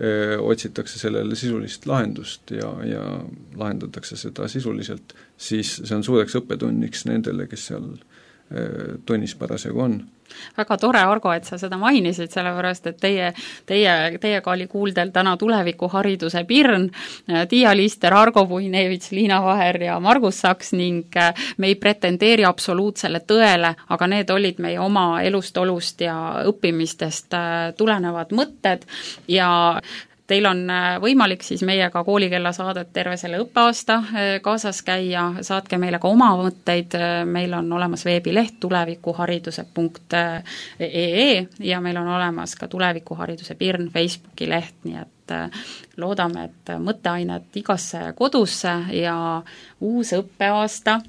otsitakse sellele sisulist lahendust ja, ja lahendatakse seda sisuliselt, siis see on suureks õppetunniks nendele, kes seal tunnis parasjagu on. Väga tore, Argo, et sa seda mainisid, sellepärast, et teie, teie, teiega oli kuuldel täna tulevikuhariduse pirn, Tiia Lister, Argo Puinevits, Liina Vaher ja Margus Saks ning me ei pretendeeri absoluutsele tõele, aga need olid meie oma elust, olust ja õppimistest tulenevad mõtted ja teil on võimalik siis meiega koolikella saadet terve selle õppeaasta kaasas käia, saatke meile ka oma mõtteid, meil on olemas veebileht tulevikuhariduse punkt ee ja meil on olemas ka tulevikuhariduse pirn Facebooki leht, nii et loodame, et mõtteainet igasse kodusse ja uus õppeaasta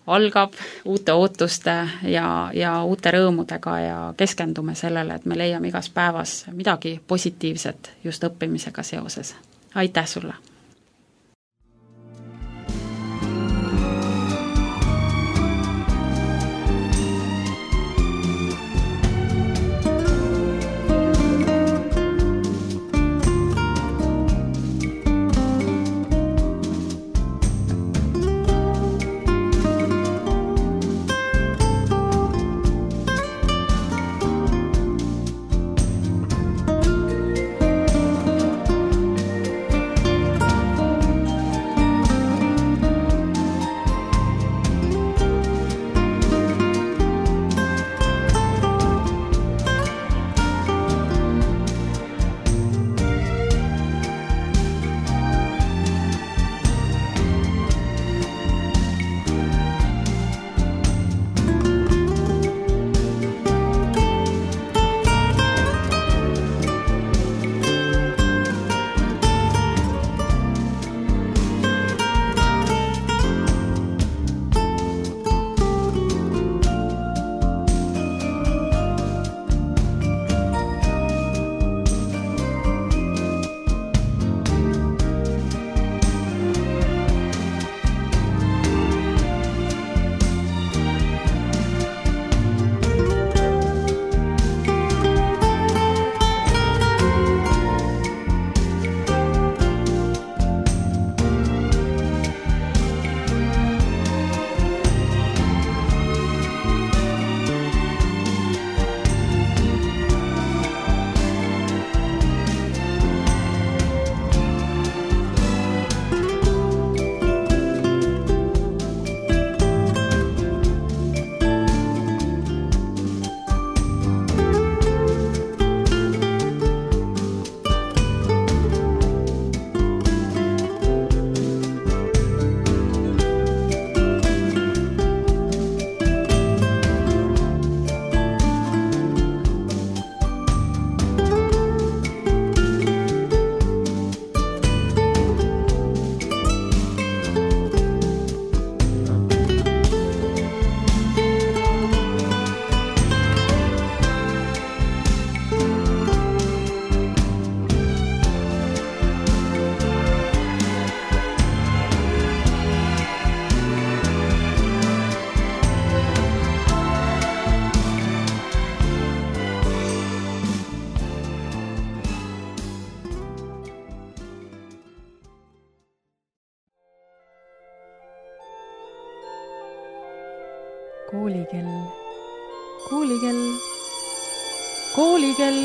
algab uute ootuste ja, ja uute rõõmudega ja keskendume sellele, et me leiame igas päevas midagi positiivset just õppimisega seoses. Aitäh sulle! koolikell, koolikell, koolikell.